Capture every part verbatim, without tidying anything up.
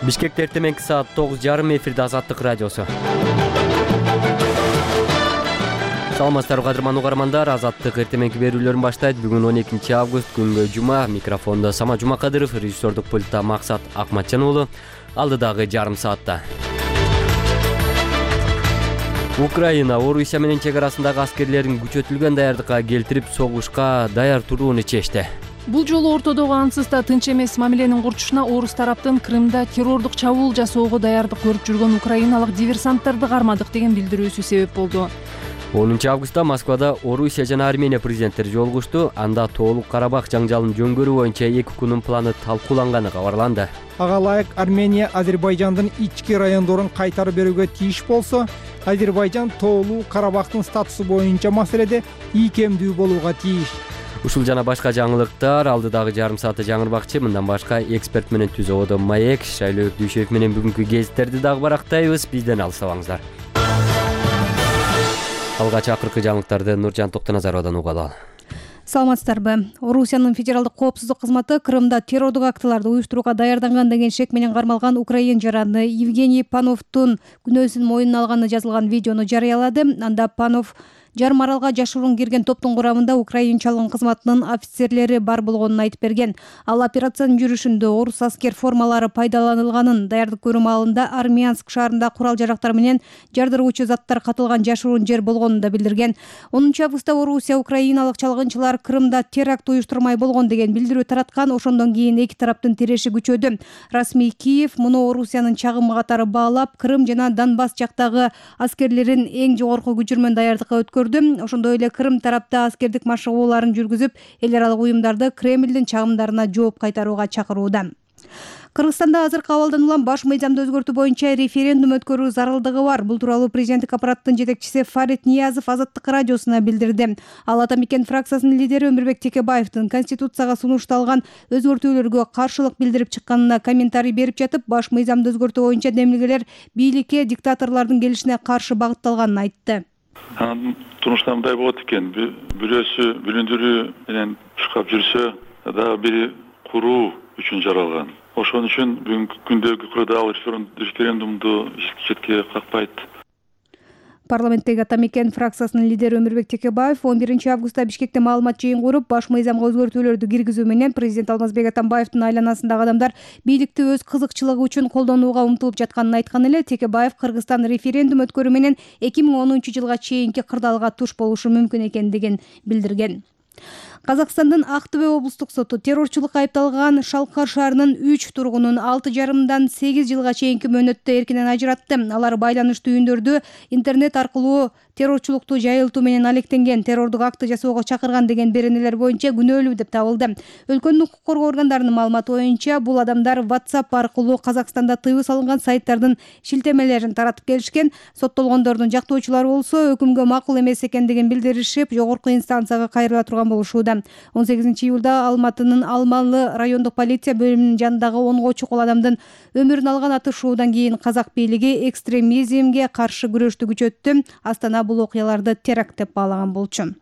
Бишкекте эртеменки саат тогуз жарым эфирде Азаттык радиосу. Саламатсыздарбы кадырман угармандар, Азаттык эртеменки берүүлөрүн баштайт. Бүгүн он экинчи август, күнгө жума. Микрофондо Сама Жумакадыров, режиссердук пультта Максат Акматжан уулу. Алдыдагы жарым саатта Украина Орусия менен чек арасындагы аскерлерин күчөтүлгөн даярдыкка келтирип, согушка даяр турууну чечти. Бул жолу ортодогу ансыз да тынч эмес мамиленин курчушуна орус тараптын Крымда террордук чабуул жасоого даярдык көрүп жүргөн украиналык диверсанттарды кармадык деген билдирүүсү себеп болду. онунчу августта Москвада Орусия жана Армения президенттери жолугушту. Анда Тоолук Карабах жаңжалын жөнгөрүү боюнча эки күнүн планы талкууланганы кабарланды. Ага ылайык Армения Азербайжандын ички райондорун кайтарып берүүгө тийиш болсо, Азербайжан Тоолук Карабахтын статусу боюнча маселеде ийкемдүү болууга тийиш. Ушул жана башка жаңылыктар алдыдагы жарым саатта жаңырбакчы. Мындан башка эксперт менен Түз абода Маек, Шайлоо Дүйшөев менен бүгүнкү гезиттерди дагы барактайбыз. Бизден алыстабаңыздар. Алгач акыркы жаңылыктарды Нуржан Токтоназаровдон угалы. Саламатсыздарбы. Орусиянын федералдык коопсуздук кызматы Крымда террордук актыларды уюштурууга даярданган деген шек менен кармалган украин жараны Евгений Пановдун күнөөсүн мойнуна алганы жазылган видеону жарыялады. Анда Панов жарым аралга жашыруун кирген топтун курамында украинчалык кызматынын офицерлери бар болгонун айтып берген. Ал операциянын жүрүшүндө орус аскер формалары пайдаланылганын, даярдык көрүү маалында Армянск шаарында курал-жарактар менен жардыруучу заттар катылган жашыруун жер болгонун да билдирген. онунчу августта Орусия украиналык чалгынчылар Крымда теракт уюштурмай болгон деген билдирүү тараткан. Ошондон кийин эки тараптын тиреши күчөдү. Расмий Киев муну Орусиянын чагымы катары баалап, Крым жана Донбасс жактагы аскерлерин эң жогорку күчүрмөн даярдыкка өткөрдү. Ошондой эле Крым тарапта аскердик машыгууларын жүргүзүп, эл аралык уюмдарды Кремлдин чагымдарына жооп кайтарууга чакырууда. Кыргызстанда азыркы абалдан улам баш мыйзамды өзгөртүү боюнча референдум өткөрүү зарылдыгы бар. Бул тууралуу президенттик аппараттын жетекчиси Фарид Ниязов Азаттык радиосуна билдирди. Ал Ата Мекен фракциясынын лидери Өмүрбек Текебаевдин Конституцияга сунушталган өзгөртүүлөргө каршылык билдирип чыкканына комментарий берип жатып, баш мыйзамды өзгөртүү боюнча демилгелер бийликке диктаторлордун келишине каршы багытталганын айтты. Турмушта мындай болот экен, бирөөсү бүлүндүрүү менен чуркап жүрсө, дагы бири куруу үчүн жаралган. Ошон үчүн бүгүнкү күндөгү курдагы референдумду четке какпайт. Парламенттеги Ата Мекен фракциясынын лидери Өмүрбек Текебаев он биринчи августта Бишкекте маалымат жыйын куруп, баш мыйзамга өзгөртүүлөрдү киргизүү менен президент Алмазбек Атамбаевдин айланасындагы адамдар бийликти өз кызыкчылыгы үчүн колдонууга умтулуп жатканын айткан эле. Текебаев Кыргызстан референдум өткөрүү менен эки миң онунчу жылга чейинки кырдаалга туш болушу мүмкүн экендигин билдирген. Казакстандын Актөбе облустук соту террорчулукка айыпталган Шалкар шаарынын үч тургунун алты жарымдан сегиз жылга чейинки мөөнөттө эркинен ажыратты. Алар байланыштуу үйүндөрдү интернет аркылуу террорчулукту жайылтуу менен алектенген, террордук акты жасоого чакырган деген беренелер боюнча күнөөлүү деп табылды. Өлкөнүн укук коргоо органдарынын маалыматы боюнча бул адамдар WhatsApp аркылуу Казакстанда тыюу салынган сайттардын шилтемелерин таратып келишкен. Соттолгондордун жактоочулары болсо өкүмгө макул эмес экендигин билдиришип, жогорку инстанцияга кайрыла турган болушууда. он сегизинчи июлда Алматынын Алмалы райондук полиция бөлүмүнүн жанындагы онго чукул адамдын өмүрүн алган атышуудан кийин казак бийлиги экстремизмге каршы күрөштү күчөттү. Астана бул окуяларды теракт деп баалаган болчу.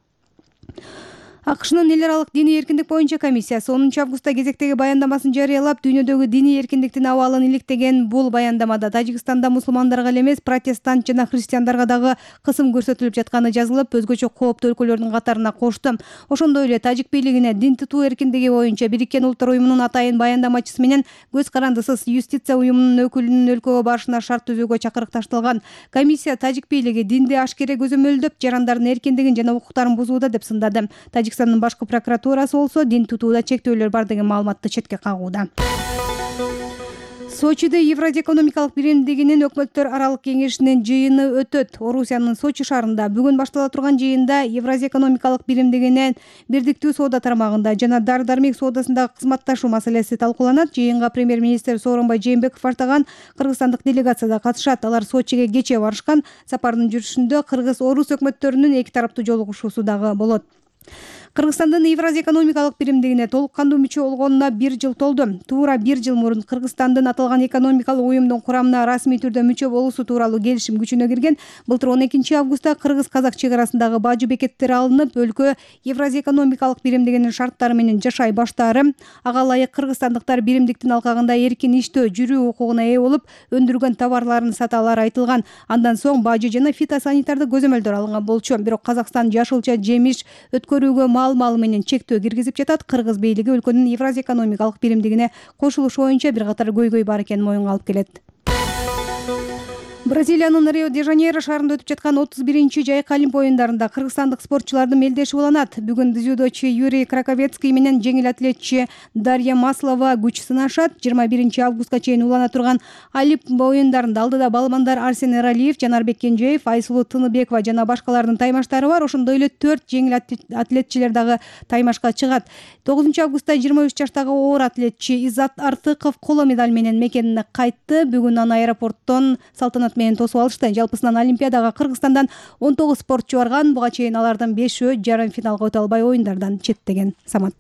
АКШнын эл аралык диний эркиндик боюнча комиссиясы онунчу августта кезектеги баяндамасын жарыялап, дүйнөдөгү диний эркиндиктин абалын иликтеген. Бул баяндамада Тажикстанда мусулмандарга эле эмес, протестант жана христиандарга дагы кысым көрсөтүлүп жатканы жазылып, өзгөчө кооптуу өлкөлөрдүн катарына кошту. Ошондой эле тажик бийлигине дин тутуу эркиндиги боюнча Бириккен Улуттар уюмунун атайын баяндамачысы менен көз карандысыз юстиция уюмунун өкүлүнүн өлкөгө барышына шарт түзүүгө чакырык ташталган. Комиссия тажик бийлиги динди ашкере көзөмөлдөп, жарандардын эркиндигин жана укуктарын бузууда деп сындады. Тажикстандын башкы прокуратурасы болсо дин тутууда чектөөлөр бар деген маалыматты четке кагууда. Сочиде Евразия экономикалык биримдигинин өкмөттөр аралык кеңешинин жыйыны өтөт. Орусиянын Сочи шаарында бүгүн баштала турган жыйында Евразия экономикалык биримдигинин бирдиктүү соода тармагында жана дары-дармек соодасындагы кызматташуу маселеси талкууланат. Жыйынга премьер-министр Сооронбай Жээнбеков баштаган кыргызстандык делегация да катышат. Алар Сочиге кечээ барышкан. Сапардын жүрүшүндө кыргыз-орус өкмөттөрүнүн эки тараптуу жолугушуусу дагы болот. Кыргызстандын Евразия экономикалык биримдигине толук кандуу мүчө болгонуна бир жыл толду. Туура бир жыл мурун Кыргызстандын аталган экономикалык уюмдун курамына расмий түрдө мүчө болуусу тууралуу келишим күчүнө кирген. Былтыр он экинчи августта кыргыз-казак чек арасындагы бажы бекеттери алынып, өлкө Евразия экономикалык биримдигинин шарттары менен жашай баштаары, ага ылайык кыргызстандыктар биримдиктин алкагында эркин иштөө, жүрүү укугуна ээ болуп, өндүргөн товарларын сата алары айтылган. Андан соң бажы жана фитосанитардык көзөмөлдөр алынган болчу. Бирок Казакстан жашылча жемиш өткөрүүгө мал-мал менен чектөө киргизип жатат. Кыргыз бийлиги өлкөнүн Евразия экономикалык биримдигине кошулушу боюнча бир катар көйгөй бар экенин моюнга алып келет. Бразилиянын Рио-де-Жанейро шаарында өтүп жаткан отуз биринчи жайкы Олимп оюндарында кыргызстандык спортчулардын мелдеши уланат. Бүгүн дзюдочу Юрий Краковецкий менен жеңил атлетчи Дарья Маслова күч сынашат. жыйырма биринчи августка чейин улана турган Олимп оюндарында алдыда балмандар Арсен Эралиев, Жанарбек Кенжеев, Айсулуу Тыныбекова жана башкалардын таймаштары бар. Ошондой эле төрт жеңил атлетчилер дагы таймашка чыгат. тогузунчу августта жыйырма үч жаштагы оор атлетчи Иззат Артыков коло медаль менен мекенине кайтты. Бүгүн аны аэропорттон салтанат менен тосуп алышты. Жалпысынан Олимпиадага Кыргызстандан он тогуз спортчу барган. Буга чейин алардын бешөө жарым финалга өтө албай оюндардан четтеген. Самат.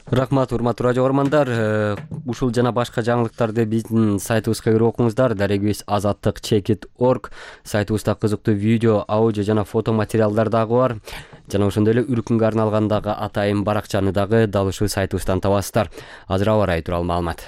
Рахмат, урматтуу радио көрөрмандар. Ушул жана башка жаңылыктарды биздин сайтыбызга кирип окуңуздар. Дарегибиз азаттык чекит точка орг. Сайтыбызда кызыктуу видео, аудио жана фото материалдар дагы бар. Жана ошондой эле үркүнгө арналгандагы атайын баракчаны дагы дал ушул сайтыбыздан табасыздар. Азыр аба ырайы тууралуу маалымат.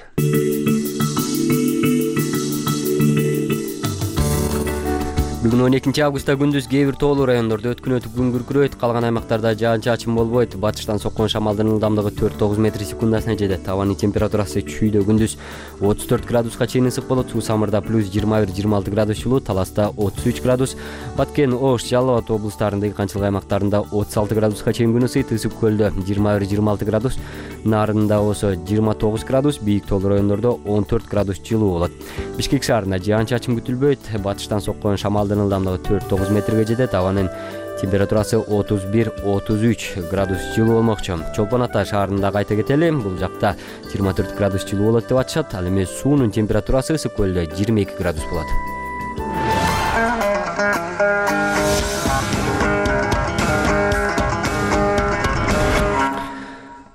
Бүгүн он экинчи августта күндүз кээ бир тоолуу райондордо өткүнөтүп күн күркүрөйт, калган аймактарда жаан-чачын болбойт. Батыштан соккон шамалдын ылдамдыгы төрт тогуз метр секундасына жетет. Абанын температурасы чүйдө күндүз отуз төрт градуска чейин ысык болот. Суу самырда плюс жыйырма бир жыйырма алты градус жылуу, Таласта отуз үч градус, Баткен, Ош, Жалал Абад облустарындагы канчылык аймактарында отуз алты градуска чейин күн ысыйт. Ысык көлдө жыйырма бир жыйырма алты градус, Нарында болсо жыйырма тогуз градус, бийик тоолуу райондордо он төрт градус жылуу болот. Бишкек шаарында жаан-чачын күтүлбөйт. Батыштан соккон шамалдын ылдамдыгы төрт тогуз метрге жетет. Абанын температурасы отуз бир отуз үч градус жылуу болмокчу. Чолпон Ата шаарында кайта кетели. Бул жакта жыйырма төрт градус жылуу болот деп атышат. Ал эми суунун температурасы ысык көлдө жыйырма эки градус болот.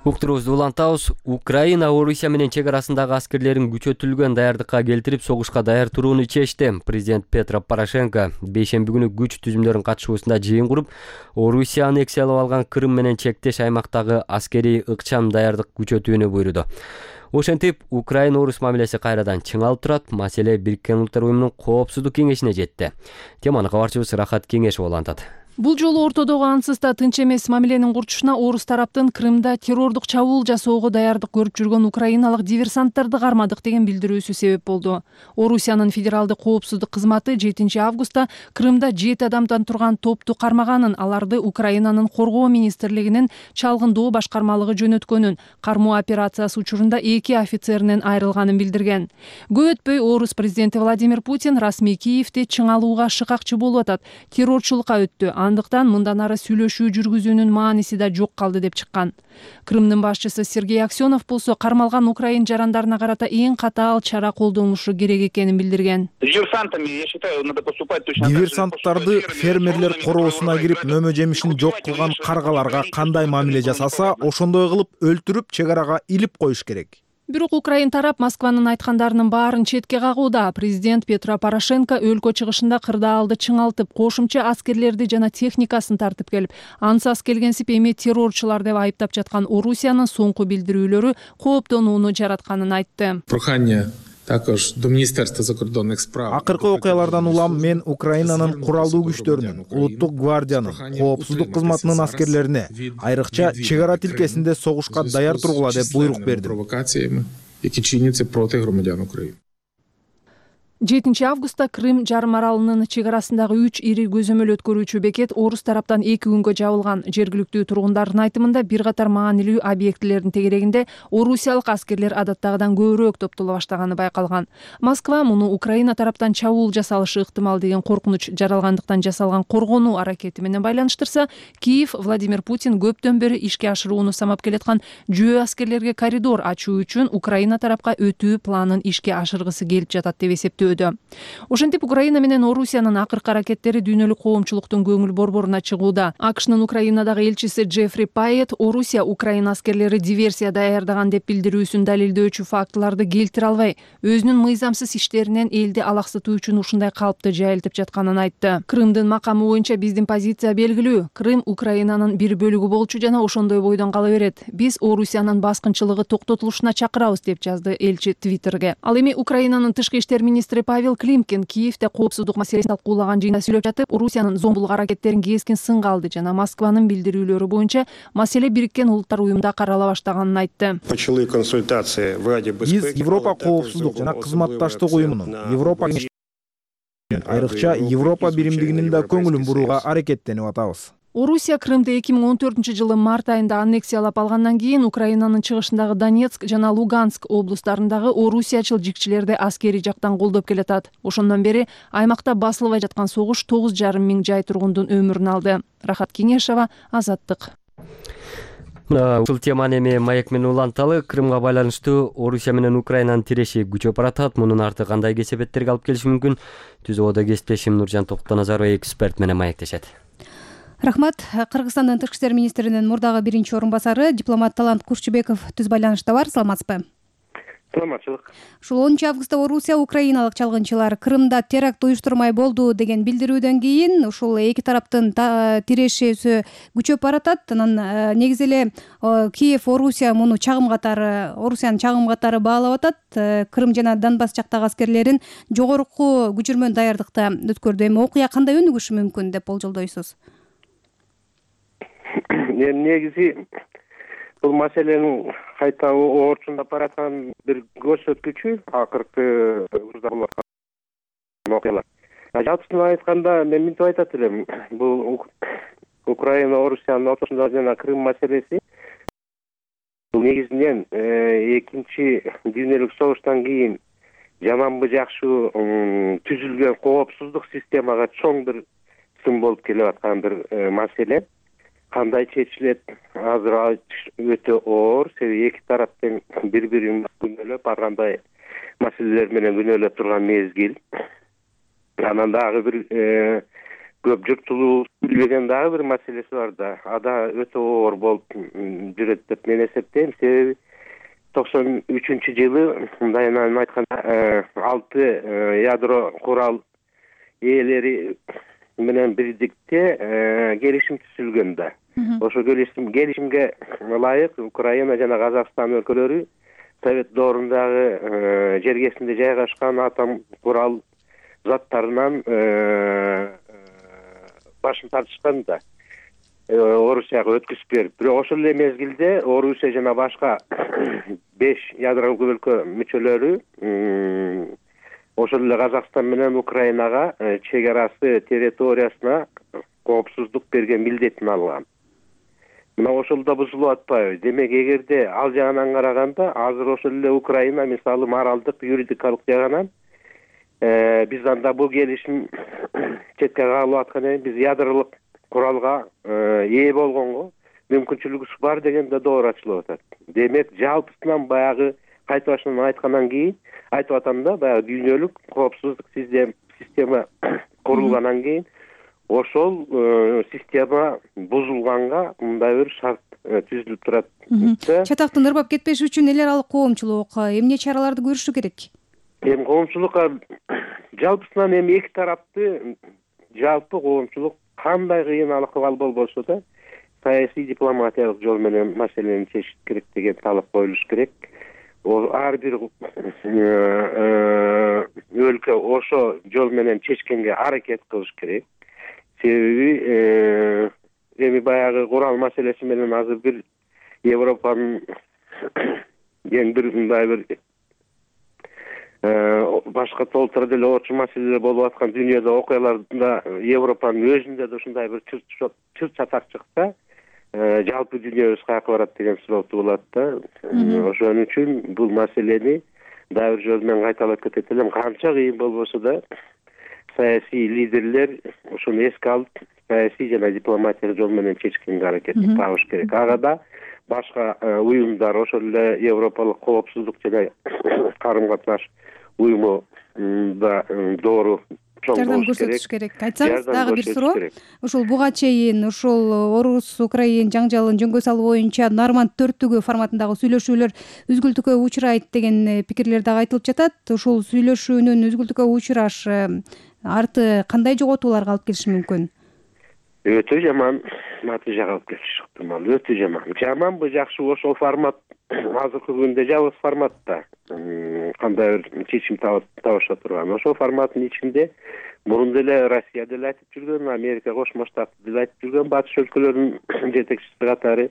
Уктурубузду улантабыз. Украина Орусия менен чек арасындагы аскерлерин күчөтүлгөн даярдыкка келтирип, согушка даяр турууну чечти. Президент Петро Порошенко бейшемби күнү күч түзүмдөрүнүн катышуусунда жыйын куруп, Орусия аннексиялап алган Крым менен чектеш аймактагы аскерий ыкчам даярдык күчөтүүнү буйруду. Ошентип, Украина-Орус мамилеси кайрадан чыңалып турат. Маселе Бириккен Улуттар уюмунун коопсуздук кеңешине жетти. Теманы кабарчыбыз Рахат Кеңешов улантат. Бул жолу ортодогу ансыз да тынч эмес мамиленин курчушуна орус тараптын Крымда террордук чабуул жасоого даярдык көрүп жүргөн украиналык диверсанттарды кармадык деген билдирүүсү себеп болду. Орусиянын федералдык коопсуздук кызматы жетинчи августта Крымда жети адамдан турган топту кармаганын, аларды Украинанын коргоо министрлигинин чалгындоо башкармалыгы жөнөткөнүн, кармоо операциясы учурунда эки офицеринен айрылганын билдирген. Көп өтпөй орус президенти Владимир Путин расмий Киевде чыңалууга шыкакчы болуп атат. Террорчулукка өттү. Андыктан мындан ары сүйлөшүү жүргүзүүнүн мааниси да жок калды деп чыккан. Крымдын башчысы Сергей Аксенов болсо кармалган украин жарандарына карата эң катаал чара колдонулушу керек экенин билдирген. Диверсанттарды фермерлер короосуна кирип мөмө жемишин жок кылган каргаларга кандай мамиле жасаса, ошондой кылып өлтүрүп чек арага илип коюш керек. Бирок Украин тарап Москванын айткандарынын баарын четке кагууда. Президент Петро Порошенко өлкө чыгышында кырдаалды чыңалтып, кошумча аскерлерди жана техникасын тартып келип, ансыз келгенсип эми террорчулар деп айыптап жаткан Орусиянын соңку билдирүүлөрү кооптонууну жаратканын айтты. Акыркы окуялардан улам мен Украинанын куралдуу күчтөрүнүн, улуттук гвардиянын, коопсуздук кызматынын аскерлерине, айрыкча чек ара тилкесинде согушка даяр тургула деп буйрук бердим. жетинчи августта Крым жарым аралынын чек арасындагы үч ири көзөмөл өткөрүүчү бекет орус тараптан эки күнгө жабылган. Жергиликтүү тургундардын айтымында бир катар маанилүү объектилердин тегерегинде орусиялык аскерлер адаттагыдан көбүрөөк топтоло баштаганы байкалган. Москва муну Украина тараптан чабуул жасалышы ыктымал деген коркунуч жаралгандыктан жасалган коргонуу аракети менен байланыштырса, Киев Владимир Путин көптөн бери ишке ашырууну самап келаткан жөө аскерлерге коридор ачуу үчүн Украина тарапка өтүү планын ишке ашыргысы келип жатат деп эсептөө. күтүлүүдө. Ошентип Украина менен Орусиянын акыркы аракеттери дүйнөлүк коомчулуктун көңүл борборуна чыгууда. АКШнын Украинадагы элчиси Джеффри Пайет Орусия Украина аскерлери диверсия даярдаган деп билдирүүсүн далилдөөчү фактыларды келтире албай, өзүнүн мыйзамсыз иштеринен элди алаксытуу үчүн ушундай калыпты жайылтып жатканын айтты. Крымдын макамы боюнча биздин позиция белгилүү. Крым Украинанын бир бөлүгү болчу жана ошондой бойдон кала берет. Биз Орусиянын баскынчылыгы токтотулушуна чакырабыз деп жазды элчи Твиттерге. Ал эми Украинанын тышкы иштер министри Павел Климкин Киевде коопсуздук маселесин талкуулаган жыйында сүйлөп жатып, Орусиянын зомбулук аракеттерин кескин сынга алды жана Москванын билдирүүлөрү боюнча маселе Бириккен Улуттар уюмунда карала баштаганын айтты. Биз Европа коопсуздук жана кызматташтык уюмунун, Европа айрыкча Европа биримдигинин да көңүлүн бурууга аракеттенип атабыз. Орусия Крымды эки миң он төртүнчү жылы март айында аннексиялап алгандан кийин Украинанын чыгышындагы Донецк жана Луганск облустарындагы орусиячыл жикчилерди аскерий жактан колдоп келатат. Ошондон бери аймакта басылбай жаткан согуш тогуз жарым миң жай тургундун өмүрүн алды. Рахат Кеңешова, Азаттык. Ушул теманы эми маек менен уланталы. Крымга байланыштуу Орусия менен Украинанын тиреши күчөп баратат. Мунун арты кандай кесепеттерге алып келиши мүмкүн? Түзүүдө кесиптешим Нуржан Токтоназарова эксперт менен маектешет. Рахмат. Кыргызстандын тышкы иштер министринин мурдагы биринчи орун басары дипломат Талант Курчубеков түз байланышта бар. Саламатсызбы? Саламатчылык. Ушул онунчу августта Орусия украиналык чалгынчылар Крымда теракт уюштурмай болду деген билдирүүдөн кийин ушул эки тараптын тирешеси күчөп баратат. Анан негизи эле Киев Орусия муну чагым катары, Орусиянын чагым катары баалап атат. Крым жана Донбасс жактагы аскерлерин жогорку күчүрмөн даярдыкта өткөрдү. Эми окуя кандай өнүгүшү мүмкүн деп болжолдойсуз? Негизи бул маселенин кайта оорчундап бараткан бир көрсөткүчү акыркы учурда болуп аткан окуялар. Жалпысынан айтканда мен мынтип айтат элем, бул Украина Орусиянын ортосундагы жана Крым маселеси бул негизинен экинчи дүйнөлүк согуштан кийин жаманбы жакшы түзүлгөн коопсуздук системага чоң бир сын болуп келип аткан бир маселе. Кандай чечилет азыр өтө оор, себеби эки тарап тең бири-бирин күнөөлөп, ар кандай маселелер менен күнөөлөп турган мезгил. Анан дагы бир көп журтчулук билбеген дагы бир маселеси бар да. Ада өтө оор болуп жүрөт деп мен эсептейм. Себеби токсон үчүнчү жылы мындайынан айтканда алты ядро курал ээлери менен бирдикте келишим түзүлгөн да. Ошо келишим келишимге ылайык Украина жана Казакстан өлкөлөрү Совет доорундагы жергесинде жайгашкан атом курал заттарынан башын тартышкан да. Орусияга өткүзүп берип. Бирок ошол эле мезгилде Орусия жана башка беш ядролук өлкө мүчөлөрү ошол эле Казакстан менен Украинага чек арасы территориясына коопсуздук берген милдетин алган. Мына ошол да бузулуп атпайбы? Демек, эгерде ал жагынан караганда, азыр ошол эле Украина мисалы моралдык, юридикалык жагынан биз анда бул келишим четке кагылып аткан, биз ядролук куралга ээ болгонго мүмкүнчүлүгүбүз бар деген да доор ачылып атат. Демек, жалпысынан баягы кайта башынан айткандан кийин айтып атам да, баягы дүйнөлүк коопсуздук система курулгандан кийин ошол система бузулганга мындай бир шарт түзүлүп турат. Чатактын ырбап кетпеш үчүн эл аралык коомчулук эмне чараларды көрүшү керек? Эми коомчулукка жалпысынан эми эки тарапты жалпы коомчулук кандай кыйын акыбал болбосо да саясий дипломатиялык жол менен маселени чечиш керек деген талап коюлуш керек. Ар бир өлкө ошо жол менен чечкенге аракет кылыш керек. Себеби эми баягы курал маселеси менен азыр бир Европанын эң бир мындай бир башка толтура деле орчу маселелер болуп аткан дүйнөдө окуяларда Европанын өзүндө да ушундай бир чыр чатак чыкса, жалпы дүйнөбүз каяка барат деген суроо туулат да. Ошон үчүн бул маселени дагы бир жол менен кайталап кетет элем. Канча кыйын болбосо да саясий лидерлер ошону эске алып, саясий жана дипломатиялык жол менен чечкенге аракет табыш керек. Ага да башка уюмдар, ошол эле Европалык коопсуздук жана карым катнаш уюму да доору жардам көрсөтүш керек. Айтсаңыз дагы бир суроо. Ушул буга чейин ушул орус украин жаңжалын жөнгө салуу боюнча Норманд төрттүгү форматындагы сүйлөшүүлөр үзгүлтүккө учурайт деген пикирлер дагы айтылып жатат. Ушул сүйлөшүүнүн үзгүлтүккө учурашы арты кандай жоготууларга алып келиши мүмкүн? Өтө жаман натыйжага алып келиши ыктымал. Өтө жаман. Жаманбы, жакшыбы ошол формат азыркы күндө жалгыз форматта кандай бир чечим табыша турган. Ошол форматтын ичинде мурун деле Россия деле айтып жүргөн, Америка Кошмо Штаты деле айтып жүргөн, батыш өлкөлөрүнүн жетекчиси катары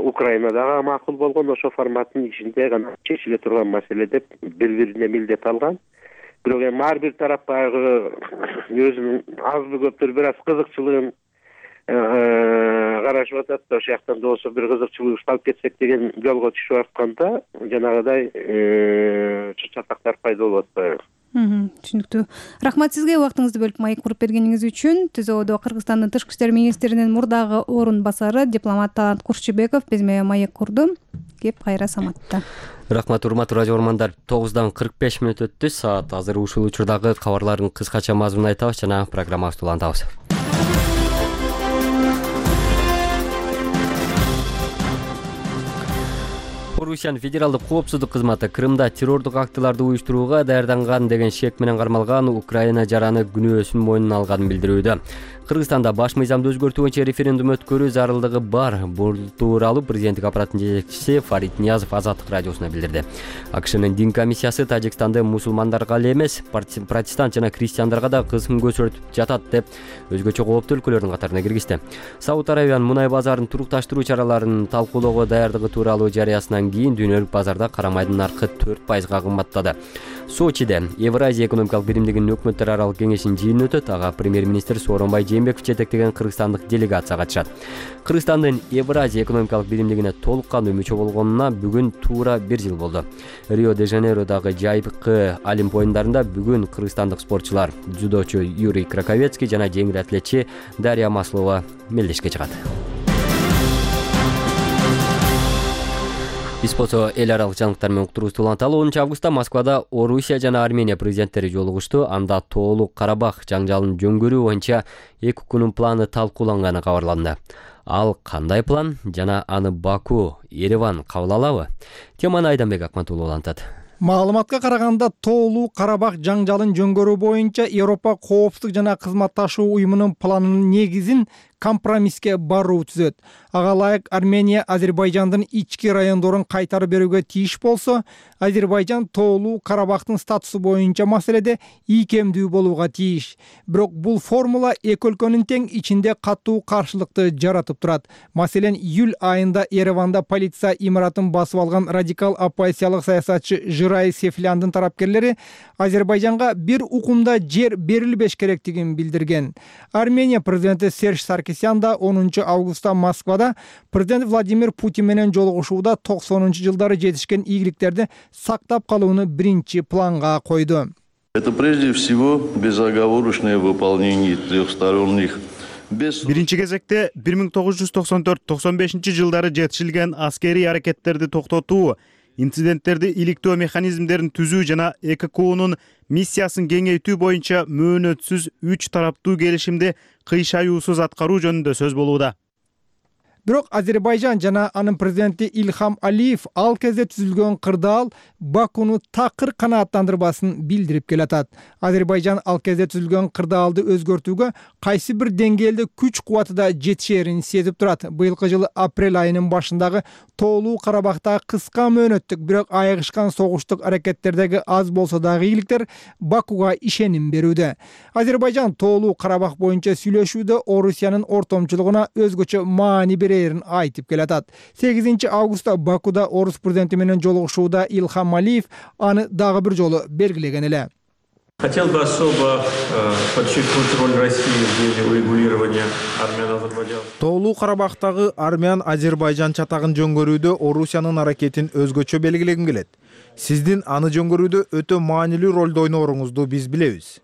Украина дагы макул болгон. Ошол форматтын ичинде гана чечиле турган маселе деп бири-бирине милдет алган. Бирок эми ар бир тарап баягы өзүнүн азбы көптүр бир аз кызыкчылыгын карашып атат да, ошол жактан да болсо бир кызыкчылык алып кетсек деген жолго түшүп атканда жанагыдай чатактар пайда болуп атпайбы? Түшүнүктүү. Рахмат сизге убактыңызды бөлүп маек куруп бергениңиз үчүн. ТИЗОдо Кыргызстандын тышкы иштер министринин мурдагы орун басары дипломат Талант Курчубеков биз менен маек курду. Кеп кайра саматта. Рахмат, урматтуу радио угармандар. тогуздан кырк беш мүнөт өттү. Саат азыр ушул учурдагы кабарлардын кыскача мазмунун айтабыз жана программабызды улантабыз. Орусиянын федералдык коопсуздук кызматы Крымда террордук актыларды уюштурууга даярданган деген шек менен кармалган Украина жараны күнөөсүн мойнуна алганын билдирүүдө. Кыргызстанда баш мыйзамды өзгөртүү боюнча референдум өткөрүү зарылдыгы бар. Бул тууралуу президенттик аппараттын жетекчиси Фарид Ниязов Азаттык радиосуна билдирди. АКШнын дин комиссиясы Тажикстанды мусулмандарга эле эмес, протестант жана христиандарга да кысым көрсөтүп жатат деп өзгөчө кооптуу өлкөлөрдүн катарына киргизди. Сауд Арабиянын мунай базарын турукташтыруу чараларын талкуулоого даярдыгы тууралуу жарыясынан кийин дүйнөлүк базарда кара майдын наркы төрт пайызга кымбаттады. Сочиде Евразия экономикалык биримдигинин өкмөттөр аралык кеңешинин жыйыны өтөт. Ага премьер-министр Сооронбай Жээнбеков жетектеген кыргызстандык делегация катышат. Кыргызстандын Евразия экономикалык биримдигине толук кандуу мүчө болгонуна бүгүн туура бир жыл болду. Рио-де-Жанейродагы жайкы Олимп оюндарында бүгүн кыргызстандык спортчулар дзюдочу Юрий Краковецкий жана жеңил атлетчи Дарья Маслова мелдешке чыгат. Биз болсо эл аралык жаңылыктар менен уктуруубузду уланталы. онунчу августта Москвада Орусия жана Армения президенттери жолугушту. Анда Тоолуу Карабах жаңжалын жөнгөрүү боюнча эки өлкөнүн планы талкууланганы кабарланды. Ал кандай план жана аны Баку, Ереван кабыл алабы? Теманы Айданбек Акматулов улантат. Маалыматка караганда Тоолуу Карабах жаңжалын жөнгөрүү боюнча Европа коопсуздук жана кызматташуу уюмунун планынын негизин компромисске баруу түзөт. Ага ылайык Армения Азербайжандын ички райондорун кайтарып берүүгө тийиш болсо, Азербайжан Тоолуу Карабахтын статусу боюнча маселеде ийкемдүү болууга тийиш. Бирок бул формула эки өлкөнүн тең ичинде катуу каршылыкты жаратып турат. Маселен, июль айында Ереванда полиция имаратын басып алган радикал оппозициялык саясатчы Жырай Сефляндын тарапкерлери Азербайжанга бир укумда жер берилбеш керектигин билдирген. Армения президенти Серж Саркисян да онунчу августта Москвада президент Владимир Путин менен жолугушууда токсонунчу жылдары жетишкен ийгиликтерди сактап калууну биринчи планга койду. Это прежде всего безоговорочное выполнение трехсторонних. Биринчи кезекте бир миң тогуз жүз токсон төрт токсон бешинчи жылдары жетишилген аскерий аракеттерди токтотуу, инциденттерди иликтөө механизмдерин түзүү жана Э К Кунун миссиясын кеңейтүү боюнча мөөнөтсүз үч тараптуу келишимди кыйшаюусуз аткаруу жөнүндө сөз болууда. Бирок Азербайжан жана анын президенти Ильхам Алиев ал кезде түзүлгөн кырдаал Бакуну такыр канааттандырбасын билдирип келатат. Азербайжан ал кезде түзүлгөн кырдаалды өзгөртүүгө кайсы бир деңгээлде күч кубаты да жетишерин сезип турат. Быйылкы жылы апрель айынын башындагы Тоолуу Карабахта кыска мөөнөттүк, бирок айыгышкан согуштук аракеттердеги аз болсо дагы ийгиликтер Бакуга ишеним берүүдө. Азербайжан Тоолуу Карабах боюнча сүйлөшүүдө Орусиянын ортомчулугуна өзгөчө маани берерин айтып келатат. сегизинчи августта Бакуда Орус президенти менен жолугушууда Ильхам Алиев аны дагы бир жолу белгилеген эле. Хотел бы особо подчеркнуть роль России в деле урегулирования армян-азербайджан. Тоолуу Карабахтагы армян-азербайжан чатагын жөнгөрүүдө Орусиянын аракетин өзгөчө белгилегим келет. Сиздин аны жөнгөрүүдө өтө маанилүү ролду ойнооруңузду биз билебиз.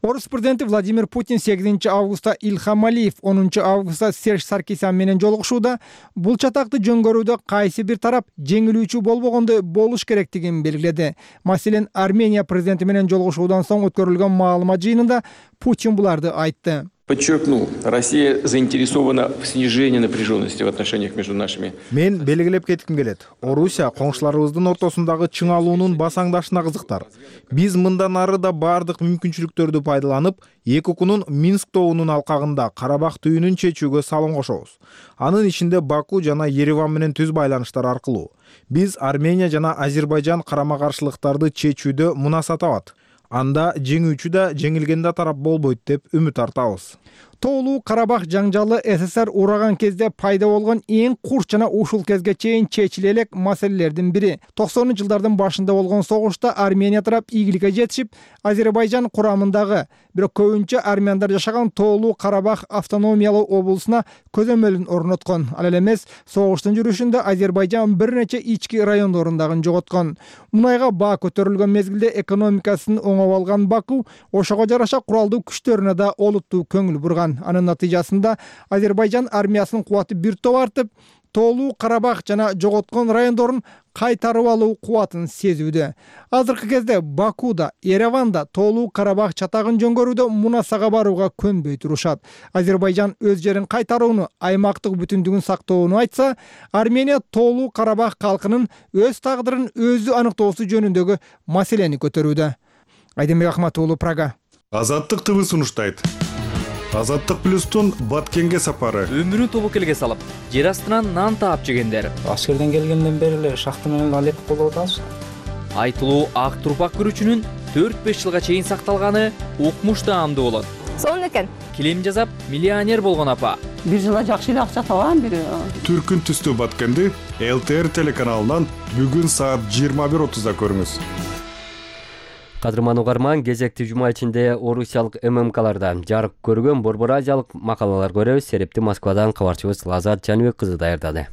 Орус президенти Владимир Путин сегизинчи августта Ильхам Алиев, онунчу августта Серж Саркисян менен жолугушууда бул чатакты жөнгөрүүдө кайсы бир тарап жеңилүүчү болбогондой болуш керектигин белгиледи. Маселен, Армения президенти менен жолугушуудан соң өткөрүлгөн маалымат жыйынында Путин буларды айтты. Подчеркнул, Россия заинтересована в снижении напряженности в отношениях между нашими. Мен белгилеп кетким келет. Орусия коңшуларыбыздын ортосундагы чыңалуунун басаңдашына кызыктар. Биз мындан ары да бардык мүмкүнчүлүктөрдү пайдаланып, эки укунун Минск тоонун алкагында Карабах түйүнүн чечүүгө салым кошобуз. Анын ичинде Баку жана Ереван менен түз байланыштар аркылуу. Биз Армения жана Азербайжан карама-каршылыктарды чечүүдө мунаса табат. Анда жеңүүчү да жеңилген да тарап болбойт деп үмүт артабыз. Тоолуу Карабах жаңжалы СССР ураган кезде пайда болгон эң курч жана ушул кезге чейин чечиле элек маселелердин бири. токсонунчу жылдардын башында болгон согушта Армения тарап ийгиликке жетишип, Азербайжан курамындагы, бирок көбүнчө армяндар жашаган Тоолуу Карабах автономиялуу облусуна көзөмөлүн орноткон. Ал эле эмес, согуштун жүрүшүндө Азербайжан бир нече ички райондорундагы жоготкон. Мунайга баа көтөрүлгөн мезгилде экономикасын оңоп алган Баку ошого жараша куралдуу күчтөрүнө да олуттуу көңүл бурган. Анын натыйжасында Азербайжан армиясынын кубаты бир топ артып, Тоолуу Карабах жана жоготкон райондорун кайтарып алуу кубатын сезүүдө. Азыркы кезде Бакуда, Ереванда Тоолуу Карабах чатагын жөнгөрүүдө мунасага барууга көнбөй турушат. Азербайжан өз жерин кайтарууну, аймактык бүтүндүгүн сактоону айтса, Армения Тоолуу Карабах калкынын өз тагдырын өзү аныктоосу жөнүндөгү маселени көтөрүүдө. Айдембек Ахматуулу, Прага. Азаттык ТВ сунуштайт. Азаттык плюстун Баткенге сапары. Өмүрүн тобокелге салып, жер астынан нан таап жегендер. Аскерден келгенден бери эле шахта менен алек болуп атабыз. Айтылуу ак турпак күрүчүнүн төрт беш жылга чейин сакталганы укмуш даамдуу болот. Сонун экен. Килем жасап, миллионер болгон апа. Бир жылда жакшы эле акча табам бир. Түркүн түстүү Баткенди Эл Тэ Эр телеканалынан бүгүн саат жыйырма бир отузда көрүңүз. Кадырман угарман, кезекти жума ичинде орусиялык эм эм каларда жарык көргөн борбор азиялык макалалар көрөбүз. Серепти Москвадан кабарчыбыз Лазат Жаныбек кызы даярдады.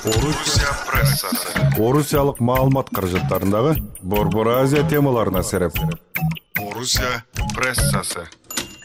Орусия прессасы. Орусиялык маалымат каражаттарындагы борбор Азия темаларына сереп. Орусия прессасы.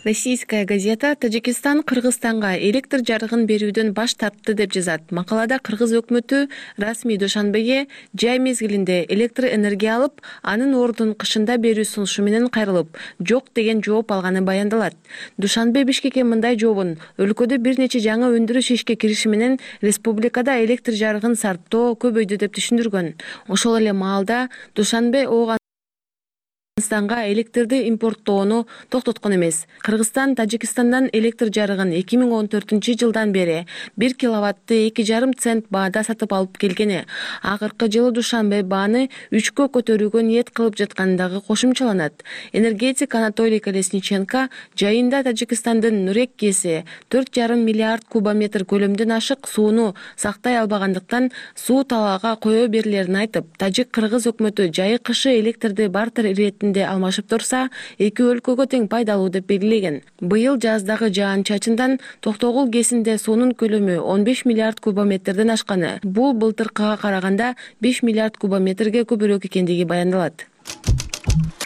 Российская газета Таджикистан Кыргызстанга электр жарыгын берүүдөн баш тартты деп жазат. Макалада кыргыз өкмөтү расмий Душанбеге жай мезгилинде электр энергия алып, анын ордун кышында берүү сунушу менен кайрылып, жок деген жооп алганы баяндалат. Душанбе Бишкекке мындай жообун өлкөдө бир нече жаңы өндүрүш ишке кириши менен республикада электр жарыгын сарптоо көбөйдү деп түшүндүргөн. Ошол эле маалда Душанбе ого Кыргызстанга электрди импорттоону токтоткон эмес. Кыргызстан Тажикстандан электр жарыгын эки миң он төртүнчү жылдан бери бир киловатты эки жарым цент баада сатып алып келгени, акыркы жылы Душанбе бааны үчкө көтөрүүгө ниет кылып жаткандыгы кошумчаланат. Энергетик Анатолий Колесниченко жайында Тажикстандын Нурек КЭСи төрт жарым миллиард кубометр көлөмдөн ашык сууну сактай албагандыктан суу талаага кое берилерин айтып, Тажик-кыргыз өкмөтү жайы кышы электрди бартер иретинде алмашып турса, эки өлкөгө тең пайдалуу деп белгилеген. Быйыл жаздагы жаан-чачындан Токтогул КЭСинде суунун көлөмү он беш миллиард кубометрден ашканы. Бул былтыркыга караганда беш миллиард кубометрге көбүрөөк экендиги баяндалат.